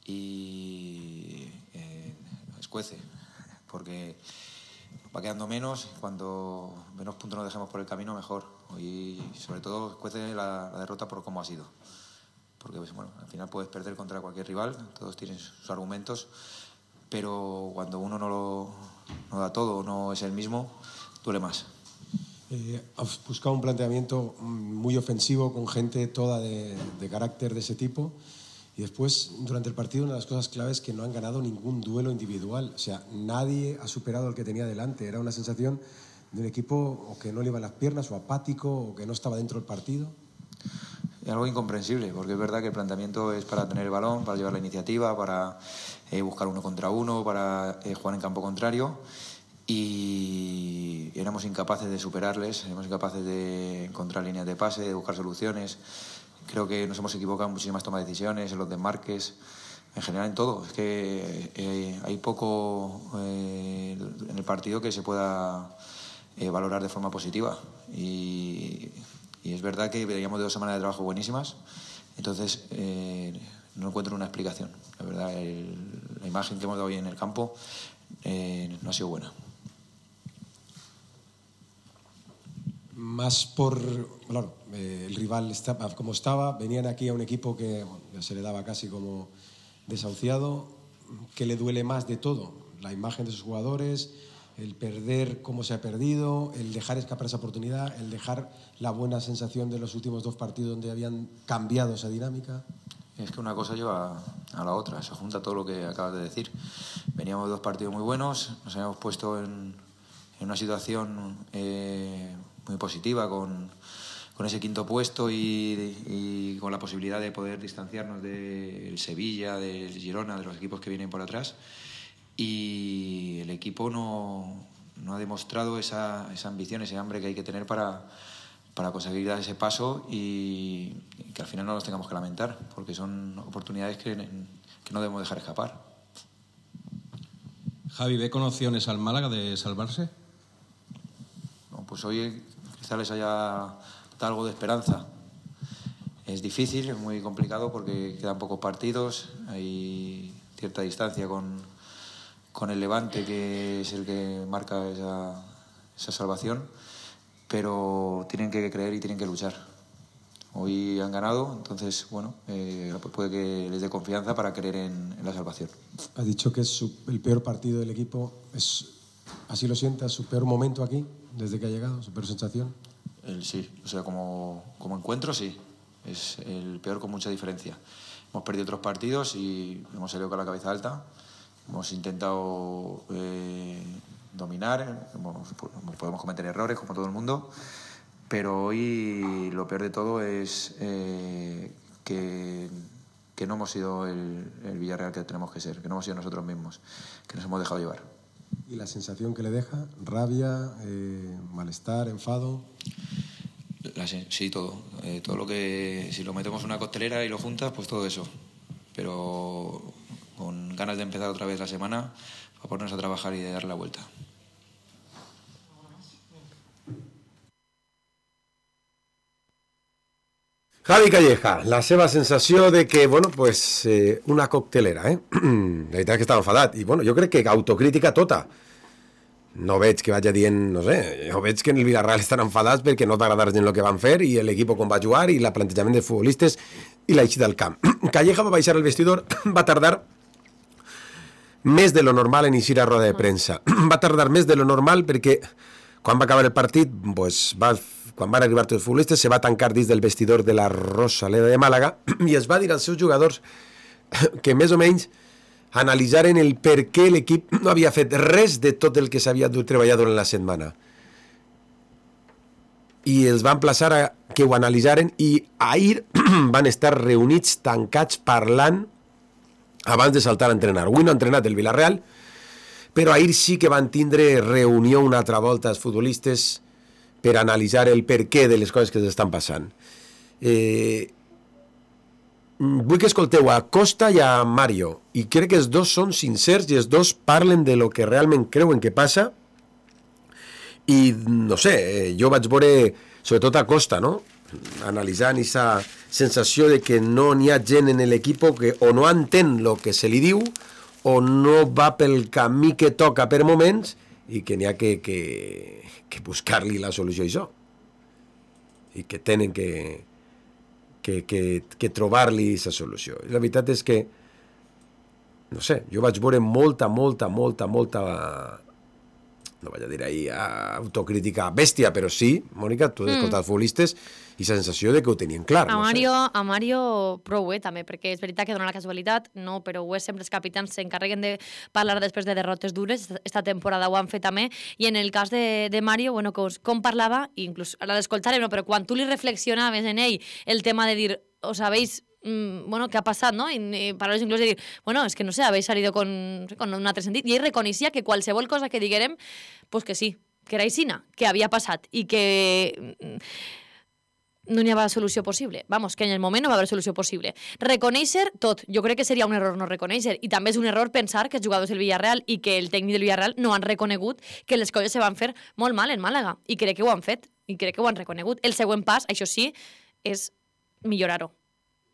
Y escuece, porque va quedando menos, cuanto menos puntos nos dejemos por el camino, mejor. Y sobre todo escuece la derrota por cómo ha sido. Porque bueno, al final puedes perder contra cualquier rival, todos tienen sus argumentos, pero cuando uno no da todo, no es el mismo, duele más. Has buscado un planteamiento muy ofensivo con gente toda de carácter de ese tipo y después durante el partido una de las cosas claves es que no han ganado ningún duelo individual, o sea, nadie ha superado al que tenía delante, era una sensación de un equipo o que no le iban las piernas o apático o que no estaba dentro del partido. Es algo incomprensible porque es verdad que el planteamiento es para tener el balón, para llevar la iniciativa, para buscar uno contra uno, para jugar en campo contrario. Y éramos incapaces de superarles, éramos incapaces de encontrar líneas de pase, de buscar soluciones. Creo que nos hemos equivocado en muchísimas tomas de decisiones, en los desmarques, en general en todo. Es que hay poco en el partido que se pueda valorar de forma positiva. Y es verdad que veníamos de 2 semanas de trabajo buenísimas, entonces no encuentro una explicación. La verdad, la imagen que hemos dado hoy en el campo no ha sido buena. Más por, claro, el rival estaba como estaba, venían aquí a un equipo que ya se le daba casi como desahuciado. ¿Qué le duele más de todo? La imagen de sus jugadores, el perder como se ha perdido, el dejar escapar esa oportunidad, el dejar la buena sensación de los últimos 2 partidos donde habían cambiado esa dinámica. Es que una cosa lleva a la otra, se junta todo lo que acabas de decir. Veníamos de 2 partidos muy buenos, nos habíamos puesto en una situación muy positiva con ese quinto puesto y con la posibilidad de poder distanciarnos del Sevilla, del Girona, de los equipos que vienen por atrás. Y el equipo no ha demostrado esa ambición, ese hambre que hay que tener para conseguir dar ese paso y que al final no los tengamos que lamentar, porque son oportunidades que no debemos dejar escapar. Javi, ¿ve con opciones al Málaga de salvarse? No, pues hoy quizá les haya dado algo de esperanza. Es difícil, es muy complicado porque quedan pocos partidos, hay cierta distancia con el Levante, que es el que marca esa salvación, pero tienen que creer y tienen que luchar. Hoy han ganado, entonces, bueno, puede que les dé confianza para creer en la salvación. Ha dicho que es el peor partido del equipo. ¿Así lo sienta? ¿Su peor momento aquí, desde que ha llegado? ¿Su peor sensación? Sí, o sea, como encuentro, sí. Es el peor con mucha diferencia. Hemos perdido otros partidos y hemos salido con la cabeza alta. Hemos intentado dominar, podemos cometer errores como todo el mundo, pero hoy lo peor de todo es que no hemos sido el Villarreal que tenemos que ser, que no hemos sido nosotros mismos, que nos hemos dejado llevar. ¿Y la sensación que le deja? ¿Rabia, malestar, enfado? Sí, todo. Todo lo que, si lo metemos en una costelera y lo juntas, pues todo eso. Pero con ganas de empezar otra vez la semana para ponernos a trabajar y de dar la vuelta. Javi Calleja, la seva sensació de que, bueno, pues, una coctelera, La veritat és que estava enfadat. I, bueno, jo crec que autocrítica tota. No veig que vagi dient, no sé, jo veig que en el Villarreal estan enfadats perquè no t'agradar gent el que van fer i l'equip com va jugar i el plantejament de futbolistes i l'eixida del camp. Calleja va baixar al vestidor, va tardar més de lo normal en iniciar a roda de premsa. Va tardar més de lo normal perquè quan va acabar el partit, pues, quan van arribar tots els futbolistes, se va tancar dins del vestidor de la Rosaleda de Màlaga i es va dir als seus jugadors que més o menys analitzaren el per què l'equip no havia fet res de tot el que s'havia treballat durant la setmana. I els va emplaçar a que ho analitzaren i ahir van estar reunits, tancats, parlant abans de saltar a entrenar. Avui no ha entrenat el Villarreal, però ahir sí que van tindre reunió una altra volta els futbolistes per analitzar el per què de les coses que s'estan passant. Vull que escolteu a Costa i a Mario, i crec que els dos són sincers i els dos parlen de lo que realment creuen que passa. I, no sé, jo vaig veure, sobretot a Costa, no?, analitzant aquesta sensació de que no n'hi ha gent en l'equip que o no entén el que se li diu o no va pel camí que toca per moments i que n'hi ha que buscar-li la solució a això. I que tenen que trobar-li aquesta solució. I la veritat és que, no sé, jo vaig veure molta, no vaig a dir ahir autocrítica bèstia, però sí, Mònica, tu has escoltat futbolistes i la sensació de que ho tenien clar. A Mario prou, també, perquè és veritat que dona la casualitat, no, però ho és sempre els capitans s'encarreguen de parlar després de derrotes dures, esta temporada ho han fet també, i en el cas de Mario, bueno, com parlava, inclús ara l'escoltarem, no, però quan tu li reflexionaves en ell el tema de dir, o sabéis, bueno, què ha passat, no? I paraules inclús de dir, bueno, és que no sé, habéis salido con un altre sentit, i ell reconeixia que qualsevol cosa que diguérem, pues que sí, que era aixina, que havia passat, i que no n'hi havia solució possible. Vamos, que en el moment no va haver solució possible. Reconèixer tot. Jo crec que seria un error no reconèixer. I també és un error pensar que els jugadors del Villarreal i que el tècnic del Villarreal no han reconegut que les coses se van fer molt mal en Màlaga. I crec que ho han fet. I crec que ho han reconegut. El següent pas, això sí, és millorar-ho.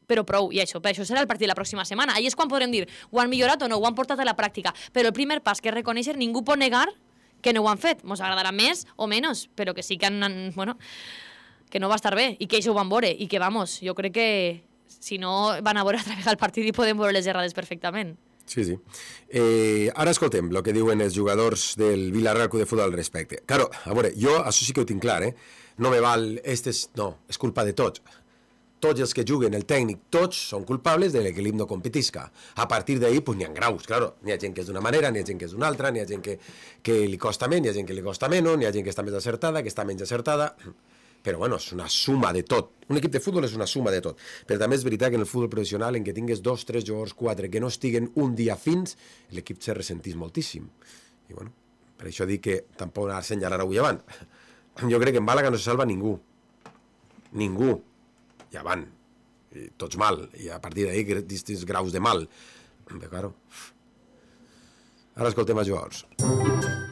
Però prou, i això serà el partit la pròxima setmana. Ahí és quan podrem dir, ho han millorat o no, ho han portat a la pràctica. Però el primer pas, que és reconèixer, ningú pot negar que no ho han fet. Ens agradarà més o menys, però que sí que han, bueno, que no va estar bé, i que això ho van veure, i que, vamos, jo crec que si no van a veure a través del partit i podem veure les errades perfectament. Sí. Ara escoltem el que diuen els jugadors del Villarreal Club de Futbol al respecte. Claro, a veure, jo això sí que ho tinc clar, no me val, no, és culpa de tots. Tots els que juguen, el tècnic, tots són culpables de que l'equip no competisca. A partir d'ahí, pues n'hi ha graus, claro. N'hi ha gent que és d'una manera, n'hi ha gent que és d'una altra, n'hi ha gent que li costa més, n'hi ha gent que li costa menys, n'hi ha gent que està més acertada, que està menys acertada. però bueno, és una suma de tot. Un equip de futbol és una suma de tot. Però també és veritat que en el futbol professional, en què tingues 2, 3 jugadors, 4, que no estiguen un dia fins, l'equip se ressentís moltíssim. I bueno, per això dic que tampoc ha assenyalar avui avant. Jo crec que en Màlaga no se salva ningú. Ningú. Ja van. I tots mal. I a partir d'ahir, distints graus de mal. Però, claro... Ara escoltem els jugadors.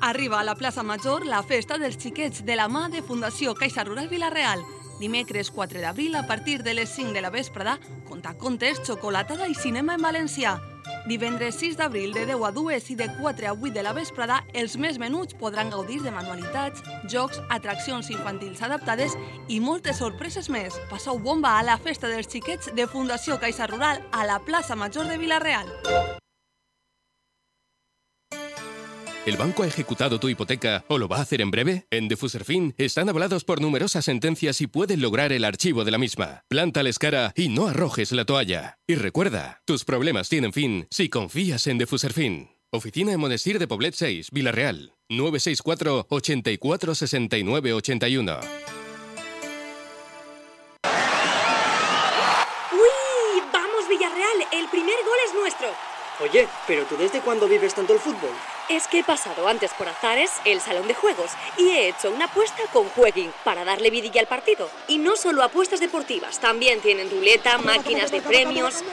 Arriba a la plaça Major la festa dels xiquets de la mà de Fundació Caixa Rural Vila-real. Dimecres 4 d'abril, a partir de les 5 de la vesprada, contacontes, xocolatada i cinema en valencià. Divendres 6 d'abril, de 10 a 2 i de 4 a 8 de la vesprada, els més menuts podran gaudir de manualitats, jocs, atraccions infantils adaptades i moltes sorpreses més. Passeu bomba a la festa dels xiquets de Fundació Caixa Rural a la plaça Major de Vila-real. ¿El banco ha ejecutado tu hipoteca o lo va a hacer en breve? En Defuserfin están avalados por numerosas sentencias y pueden lograr el archivo de la misma. Plántales cara y no arrojes la toalla. Y recuerda, tus problemas tienen fin si confías en Defuserfin. Oficina en Monestir de Poblet 6, Vila-real. 964 84 69 81. ¡Uy! ¡Vamos, Villarreal! ¡El primer gol es nuestro! Oye, ¿pero tú desde cuándo vives tanto el fútbol? Es que he pasado antes por Azares, el salón de juegos, y he hecho una apuesta con Jueguin para darle vidilla al partido. Y no solo apuestas deportivas, también tienen ruleta, máquinas de premios...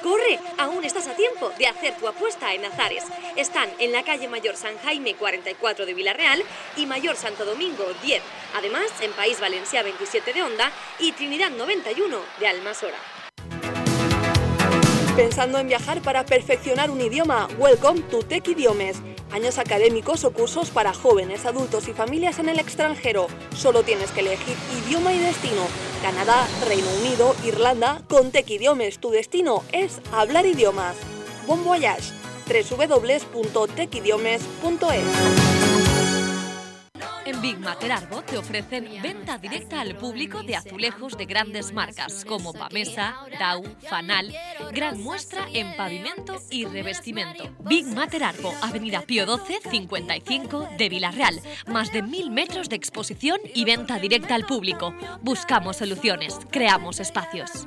¡Corre! Aún estás a tiempo de hacer tu apuesta en Azares. Están en la calle Mayor San Jaime 44 de Vila-real y Mayor Santo Domingo 10. Además, en País Valencià 27 de Onda y Trinidad 91 de Almasora. ¿Pensando en viajar para perfeccionar un idioma? Welcome to Tech Idiomes. Años académicos o cursos para jóvenes, adultos y familias en el extranjero. Solo tienes que elegir idioma y destino. Canadá, Reino Unido, Irlanda. Con Tech Idiomes tu destino es hablar idiomas. Bon voyage. www.techidiomes.es. En Big Mater Arbo te ofrecen venta directa al público de azulejos de grandes marcas como Pamesa, Dau, Fanal, gran muestra en pavimento y revestimiento. Big Mater Arbo, Avenida Pío XII, 55 de Vila-real. Más de 1000 metros de exposición y venta directa al público. Buscamos soluciones, creamos espacios.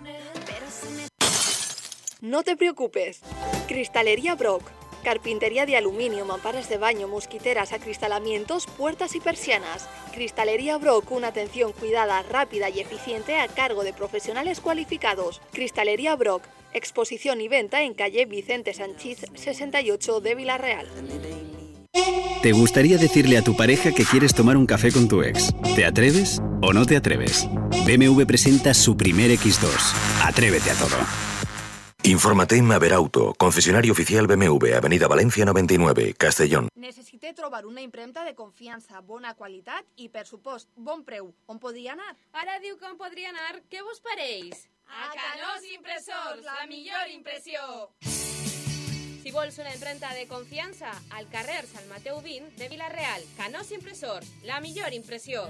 No te preocupes. Cristalería Brock. Carpintería de aluminio, mamparas de baño, mosquiteras, acristalamientos, puertas y persianas. Cristalería Brock, una atención cuidada, rápida y eficiente a cargo de profesionales cualificados. Cristalería Brock, exposición y venta en calle Vicente Sanchís 68 de Vila-real. ¿Te gustaría decirle a tu pareja que quieres tomar un café con tu ex? ¿Te atreves o no te atreves? BMW presenta su primer X2. Atrévete a todo. Infórmate en Maverauto, concesionario oficial BMW, Avenida Valencia 99, Castellón. Necessité trobar una impremta de confiança, bona qualitat i, per supost, bon preu. On podria anar? Ara diu que on podria anar. Què vos pareix? A Canós Impressors, la millor impressió! Si vols una impremta de confiança, al carrer Sant Mateu 20 de Vila-real. Canós Impressors, la millor impressió!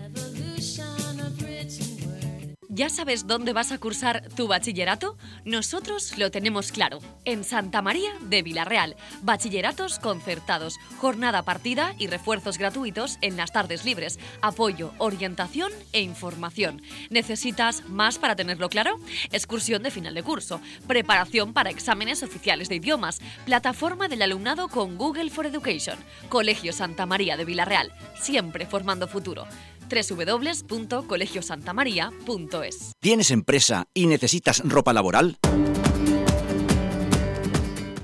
¿Ya sabes dónde vas a cursar tu bachillerato? Nosotros lo tenemos claro. En Santa María de Vila-real. Bachilleratos concertados, jornada partida y refuerzos gratuitos en las tardes libres. Apoyo, orientación e información. ¿Necesitas más para tenerlo claro? Excursión de final de curso. Preparación para exámenes oficiales de idiomas. Plataforma del alumnado con Google for Education. Colegio Santa María de Vila-real. Siempre formando futuro. www.colegiosantamaria.es. ¿Tienes empresa y necesitas ropa laboral?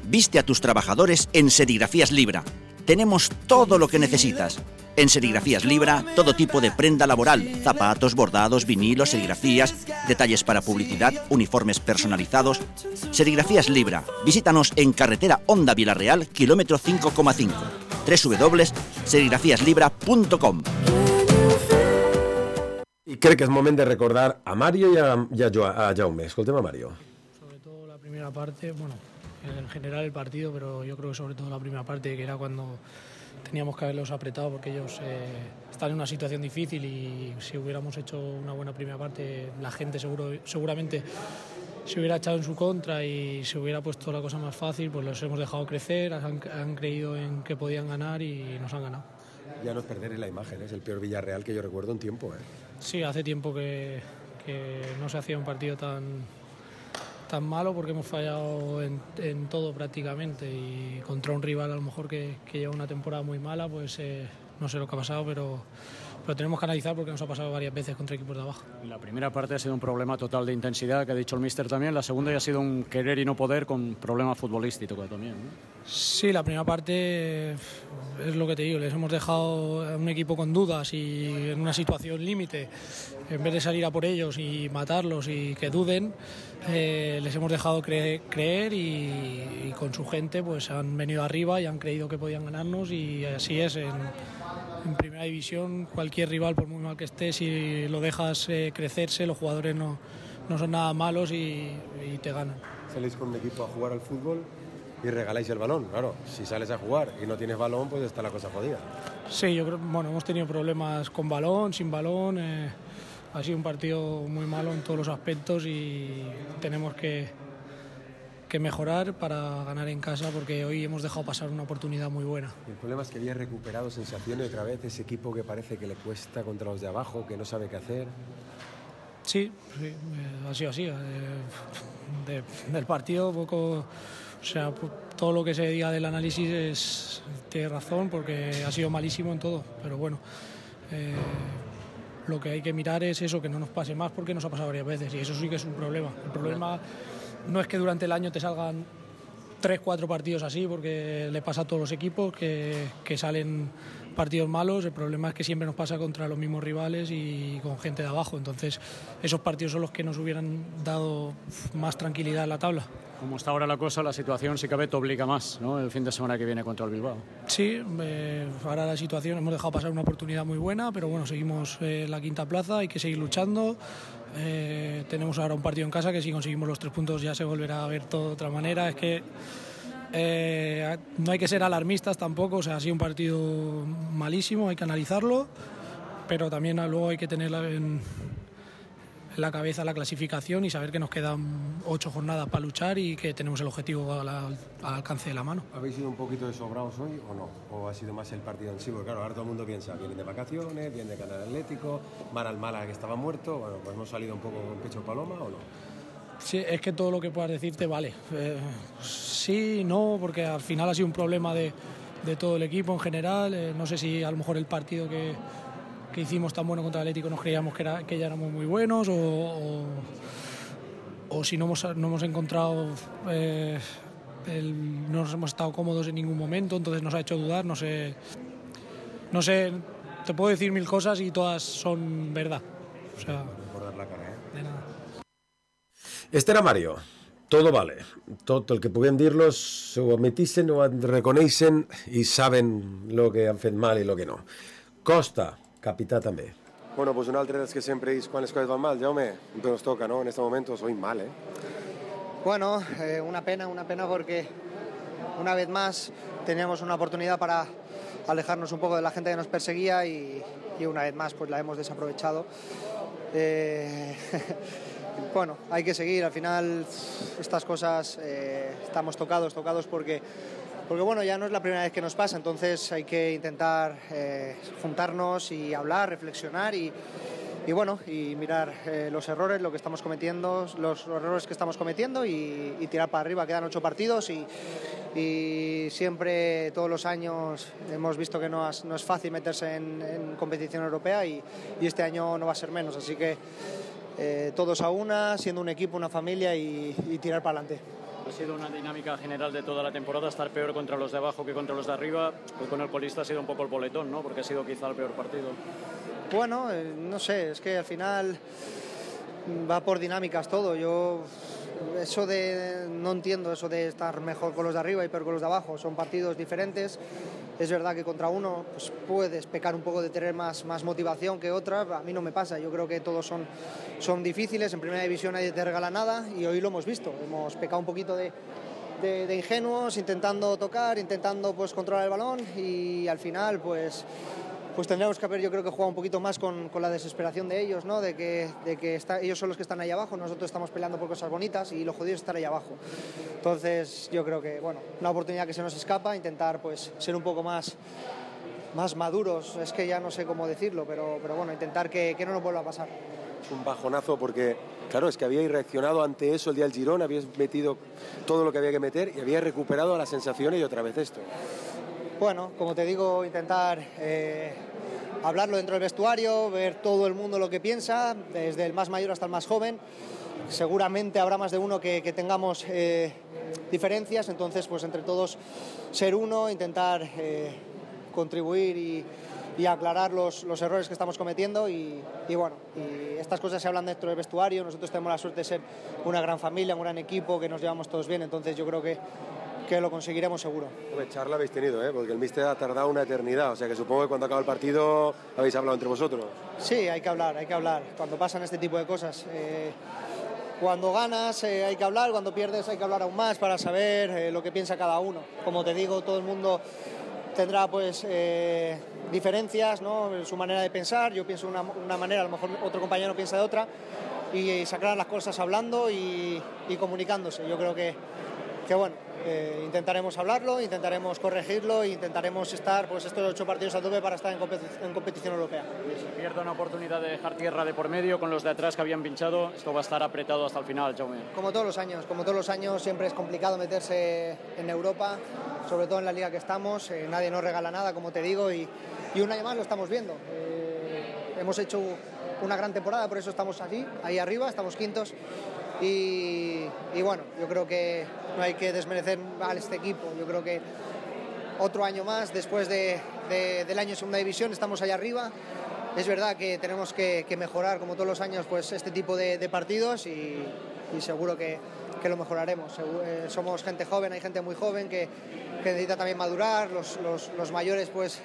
Viste a tus trabajadores en Serigrafías Libra. Tenemos todo lo que necesitas. En Serigrafías Libra, todo tipo de prenda laboral, zapatos, bordados, vinilos, serigrafías, detalles para publicidad, uniformes personalizados. Serigrafías Libra. Visítanos en carretera Onda Vila-real, kilómetro 5,5. www.serigrafiaslibra.com. I crec que és moment de recordar a Mario y a Jaume. Escoltem a Mario. Sobre todo la primera parte, bueno, en general el partido, pero yo creo que sobre todo la primera parte, que era cuando teníamos que haberlos apretado, porque ellos están en una situación difícil y si hubiéramos hecho una buena primera parte, la gente seguramente se hubiera echado en su contra y se hubiera puesto la cosa más fácil. Pues los hemos dejado crecer, han creído en que podían ganar y nos han ganado. ya no es perder la imagen, es el peor Villarreal que yo recuerdo en tiempo. Sí, hace tiempo que no se hacía un partido tan malo, porque hemos fallado en todo prácticamente, y contra un rival a lo mejor que lleva una temporada muy mala, pues no sé lo que ha pasado, pero tenemos que analizar porque nos ha pasado varias veces contra equipos de abajo. La primera parte ha sido un problema total de intensidad, que ha dicho el míster también. La segunda ya ha sido un querer y no poder con problema futbolístico también, ¿no? Sí, la primera parte es lo que te digo, les hemos dejado a un equipo con dudas y en una situación límite. En vez de salir a por ellos y matarlos y que duden, les hemos dejado creer y con su gente pues han venido arriba y han creído que podían ganarnos, y así es. En primera división, cualquier rival, por muy mal que esté, si lo dejas crecerse, los jugadores no son nada malos y te ganan. Salís con un equipo a jugar al fútbol y regaláis el balón. Claro, si sales a jugar y no tienes balón, pues está la cosa jodida. Sí, yo creo, hemos tenido problemas con balón, sin balón. Ha sido un partido muy malo en todos los aspectos y tenemos que mejorar para ganar en casa, porque hoy hemos dejado pasar una oportunidad muy buena. El problema es que había recuperado sensaciones otra vez, ese equipo que parece que le cuesta contra los de abajo, que no sabe qué hacer. Sí, ha sido así. Del partido poco, o sea, todo lo que se diga del análisis tiene razón, porque ha sido malísimo en todo, pero bueno, lo que hay que mirar es eso, que no nos pase más, porque nos ha pasado varias veces y eso sí que es un problema. El problema no es que durante el año te salgan 3-4 partidos así, porque le pasa a todos los equipos que salen partidos malos. El problema es que siempre nos pasa contra los mismos rivales y con gente de abajo. Entonces esos partidos son los que nos hubieran dado más tranquilidad en la tabla. Como está ahora la cosa, la situación si cabe te obliga más, ¿no? El fin de semana que viene contra el Bilbao. Sí, ahora la situación, hemos dejado pasar una oportunidad muy buena, pero bueno, seguimos en la quinta plaza, hay que seguir luchando. Tenemos ahora un partido en casa que si conseguimos los 3 puntos ya se volverá a ver todo de otra manera. Es que no hay que ser alarmistas tampoco, o sea, ha sido un partido malísimo, hay que analizarlo, pero también luego hay que tener en la cabeza la clasificación y saber que nos quedan 8 jornadas para luchar y que tenemos el objetivo al alcance de la mano. ¿Habéis sido un poquito desobrados hoy o no? ¿O ha sido más el partido en sí? Porque claro, ahora todo el mundo piensa, vienen de vacaciones, vienen de ganar Atlético, van al Málaga que estaba muerto, bueno, pues hemos salido un poco con pecho paloma o no. Sí, es que todo lo que puedas decirte vale. Sí, no, porque al final ha sido un problema de todo el equipo en general. No sé si a lo mejor el partido que hicimos tan bueno contra el Atlético nos creíamos que ya éramos muy buenos o si no hemos encontrado, no nos hemos estado cómodos en ningún momento, entonces nos ha hecho dudar. No sé, te puedo decir 1000 cosas y todas son verdad. O sea, por dar la cara, de nada. Este era Mario. Todo vale. Tot el que puguem dir-los s'ho admetixen, ho reconeixen i saben lo que han fet mal i lo que no. Costa, capità també. Bueno, pues un altre dels que sempre dius quan les coses van mal, Jaume, pero nos toca, ¿no? En este momento soy mal, ¿eh? Bueno, una pena porque una vez más teníamos una oportunidad para alejarnos un poco de la gente que nos perseguía y una vez más pues la hemos desaprovechado. Bueno, hay que seguir, al final estas cosas estamos tocados porque bueno, ya no es la primera vez que nos pasa, entonces hay que intentar juntarnos y hablar, reflexionar y bueno, y mirar los errores, lo que estamos cometiendo, los errores que estamos cometiendo y tirar para arriba. Quedan 8 partidos y siempre, todos los años, hemos visto que no es fácil meterse en competición europea y este año no va a ser menos, así que todos a una, siendo un equipo, una familia y tirar para adelante. Ha sido una dinámica general de toda la temporada, estar peor contra los de abajo que contra los de arriba. Hoy con el colista ha sido un poco el boletón, ¿no? Porque ha sido quizá el peor partido. Bueno, no sé, es que al final va por dinámicas todo. No entiendo eso de estar mejor con los de arriba y peor con los de abajo. Son partidos diferentes. Es verdad que contra uno pues, puedes pecar un poco de tener más motivación que otra. A mí no me pasa. Yo creo que todos son difíciles. En primera división nadie te regala nada y hoy lo hemos visto. Hemos pecado un poquito de ingenuos, intentando tocar, intentando pues, controlar el balón y al final pues tendríamos que haber, yo creo que jugado un poquito más con la desesperación de ellos, ¿no? De que ellos son los que están ahí abajo, nosotros estamos peleando por cosas bonitas y lo jodido es estar ahí abajo. Entonces yo creo que, bueno, una oportunidad que se nos escapa, intentar pues ser un poco más más maduros, es que ya no sé cómo decirlo, pero bueno, intentar que no nos vuelva a pasar. Es un bajonazo porque, claro, es que habíais reaccionado ante eso el día del Girona, habíais metido todo lo que había que meter y habíais recuperado las sensaciones y otra vez esto. Bueno, como te digo, intentar hablarlo dentro del vestuario, ver todo el mundo lo que piensa, desde el más mayor hasta el más joven. Seguramente habrá más de uno que tengamos diferencias, entonces pues entre todos ser uno, intentar contribuir y aclarar los errores que estamos cometiendo y bueno, y estas cosas se hablan dentro del vestuario. Nosotros tenemos la suerte de ser una gran familia, un gran equipo, que nos llevamos todos bien, entonces yo creo que lo conseguiremos seguro. Charla habéis tenido, porque el míster ha tardado una eternidad, o sea que supongo que cuando acaba el partido habéis hablado entre vosotros. Sí, hay que hablar, cuando pasan este tipo de cosas. Cuando ganas hay que hablar, cuando pierdes hay que hablar aún más para saber lo que piensa cada uno. Como te digo, todo el mundo tendrá pues diferencias, ¿no? En su manera de pensar. Yo pienso de una manera, a lo mejor otro compañero piensa de otra, y sacar las cosas hablando y comunicándose. Yo creo que bueno, intentaremos hablarlo, intentaremos corregirlo e intentaremos estar pues estos 8 partidos a tope para estar en competición europea. Si pierde una oportunidad de dejar tierra de por medio con los de atrás que habían pinchado, esto va a estar apretado hasta el final, Jaume. Como todos los años siempre es complicado meterse en Europa, sobre todo en la liga que estamos. Nadie nos regala nada, como te digo, y un año más lo estamos viendo. Hemos hecho una gran temporada, por eso estamos ahí arriba, estamos quintos. Y bueno, yo creo que no hay que desmerecer a este equipo. Yo creo que otro año más, después del año en segunda división, estamos allá arriba. Es verdad que tenemos que mejorar, como todos los años, pues este tipo de partidos y seguro que lo mejoraremos. Somos gente joven, hay gente muy joven que necesita también madurar. Los mayores pues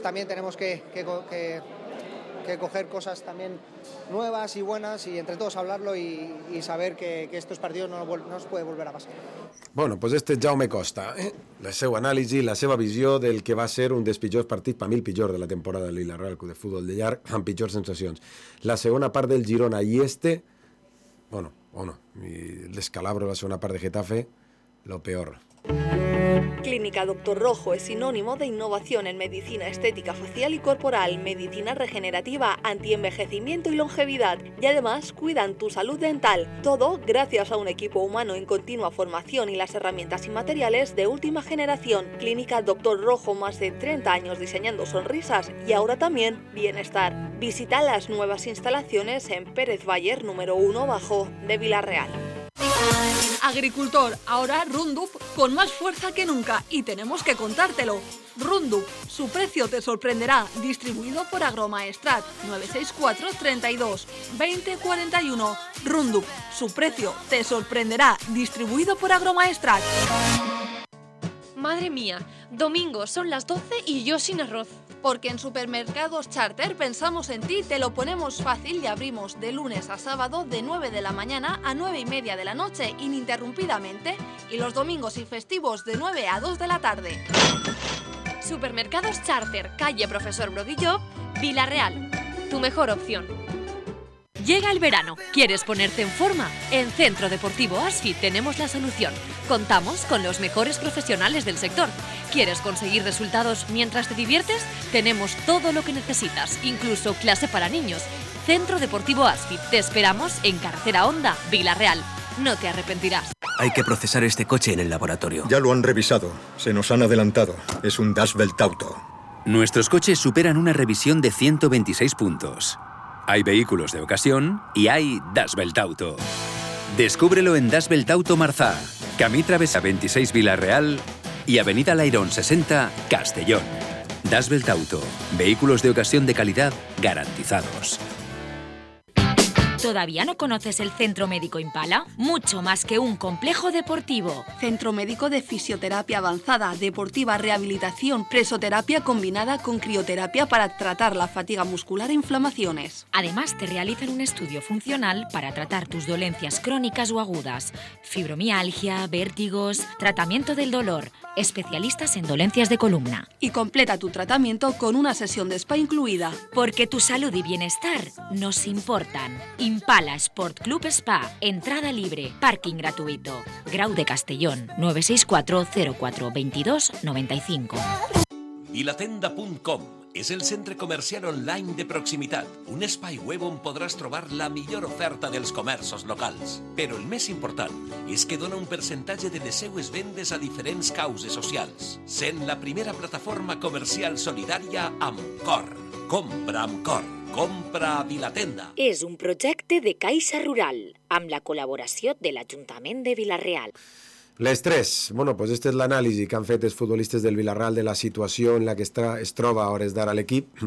también tenemos que coger cosas también nuevas y buenas y entre todos hablarlo y saber que estos partidos no nos puede volver a pasar. Bueno, pues este Jaume Costa, la seva anàlisi, la seva visió del que va ser un dels pitjors partits, per mi el pitjor de la temporada del Villarreal Club de Futbol de llarg, amb pitjors sensacions. La segona part del Girona i y el descalabro de la segunda parte de Getafe, lo peor. Clínica Doctor Rojo es sinónimo de innovación en medicina estética facial y corporal, medicina regenerativa, antienvejecimiento y longevidad, y además cuidan tu salud dental. Todo gracias a un equipo humano en continua formación y las herramientas y materiales de última generación. Clínica Doctor Rojo, más de 30 años diseñando sonrisas y ahora también bienestar. Visita las nuevas instalaciones en Pérez Bayer número 1 bajo de Villarreal. Agricultor, ahora Roundup con más fuerza que nunca y tenemos que contártelo. Roundup, su precio te sorprenderá, distribuido por Agromaestrat, 964 32 20 41. Roundup, su precio te sorprenderá, distribuido por Agromaestrat. Madre mía, domingo son las 12 y yo sin arroz. Porque en Supermercados Charter pensamos en ti, te lo ponemos fácil y abrimos de lunes a sábado de 9 de la mañana a 9:30 de la noche ininterrumpidamente y los domingos y festivos de 9 a 2 de la tarde. Supermercados Charter, calle Profesor Brodillo, Villarreal. Tu mejor opción. Llega el verano. ¿Quieres ponerte en forma? En Centro Deportivo Asfit tenemos la solución. Contamos con los mejores profesionales del sector. ¿Quieres conseguir resultados mientras te diviertes? Tenemos todo lo que necesitas, incluso clase para niños. Centro Deportivo Asfit. Te esperamos en Carretera Honda, Villarreal. No te arrepentirás. Hay que procesar este coche en el laboratorio. Ya lo han revisado. Se nos han adelantado. Es un Das Welt Auto. Nuestros coches superan una revisión de 126 puntos. Hay vehículos de ocasión y hay Das Welt Auto. Descúbrelo en Das Welt Auto Marzá, Camí Travesa 26 Villarreal y Avenida Lairón 60 Castellón. Das Welt Auto, vehículos de ocasión de calidad garantizados. ¿Todavía no conoces el Centro Médico Impala? Mucho más que un complejo deportivo. Centro médico de fisioterapia avanzada, deportiva, rehabilitación, presoterapia combinada con crioterapia para tratar la fatiga muscular e inflamaciones. Además, te realizan un estudio funcional para tratar tus dolencias crónicas o agudas, fibromialgia, vértigos, tratamiento del dolor, especialistas en dolencias de columna. Y completa tu tratamiento con una sesión de spa incluida. Porque tu salud y bienestar nos importan. Impala Sport Club Spa, entrada libre, parking gratuito. Grau de Castellón, 964 04 22 95. Vilatenda.com és el centre comercial online de proximitat, un espai web on podràs trobar la millor oferta dels comerços locals. Però el més important és que dona un percentatge de les seues vendes a diferents causes socials, sent la primera plataforma comercial solidària amb cor. Compra amb cor. Compra a Vilatenda. És un projecte de Caixa Rural, amb la col·laboració de l'Ajuntament de Vila-real. Les 3. Bueno, pues este és l'anàlisi que han fet els futbolistes del Villarreal de la situació en la que es troba a hores d'ara l'equip.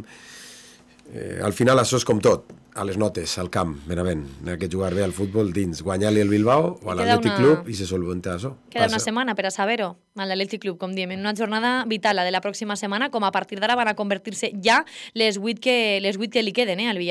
Al final això és com tot, a les notes, al camp, Benavent. N'hi ha que jugar bé al futbol dins, guanyar-li el Bilbao o a l'Atlètic Club i se solventa això. Queda una setmana per a saber-ho, a l'Atlètic Club, com diem, en una jornada vital, la de la pròxima setmana, com a partir d'ara van a convertir-se ja les 8 que li queden, al Villarreal.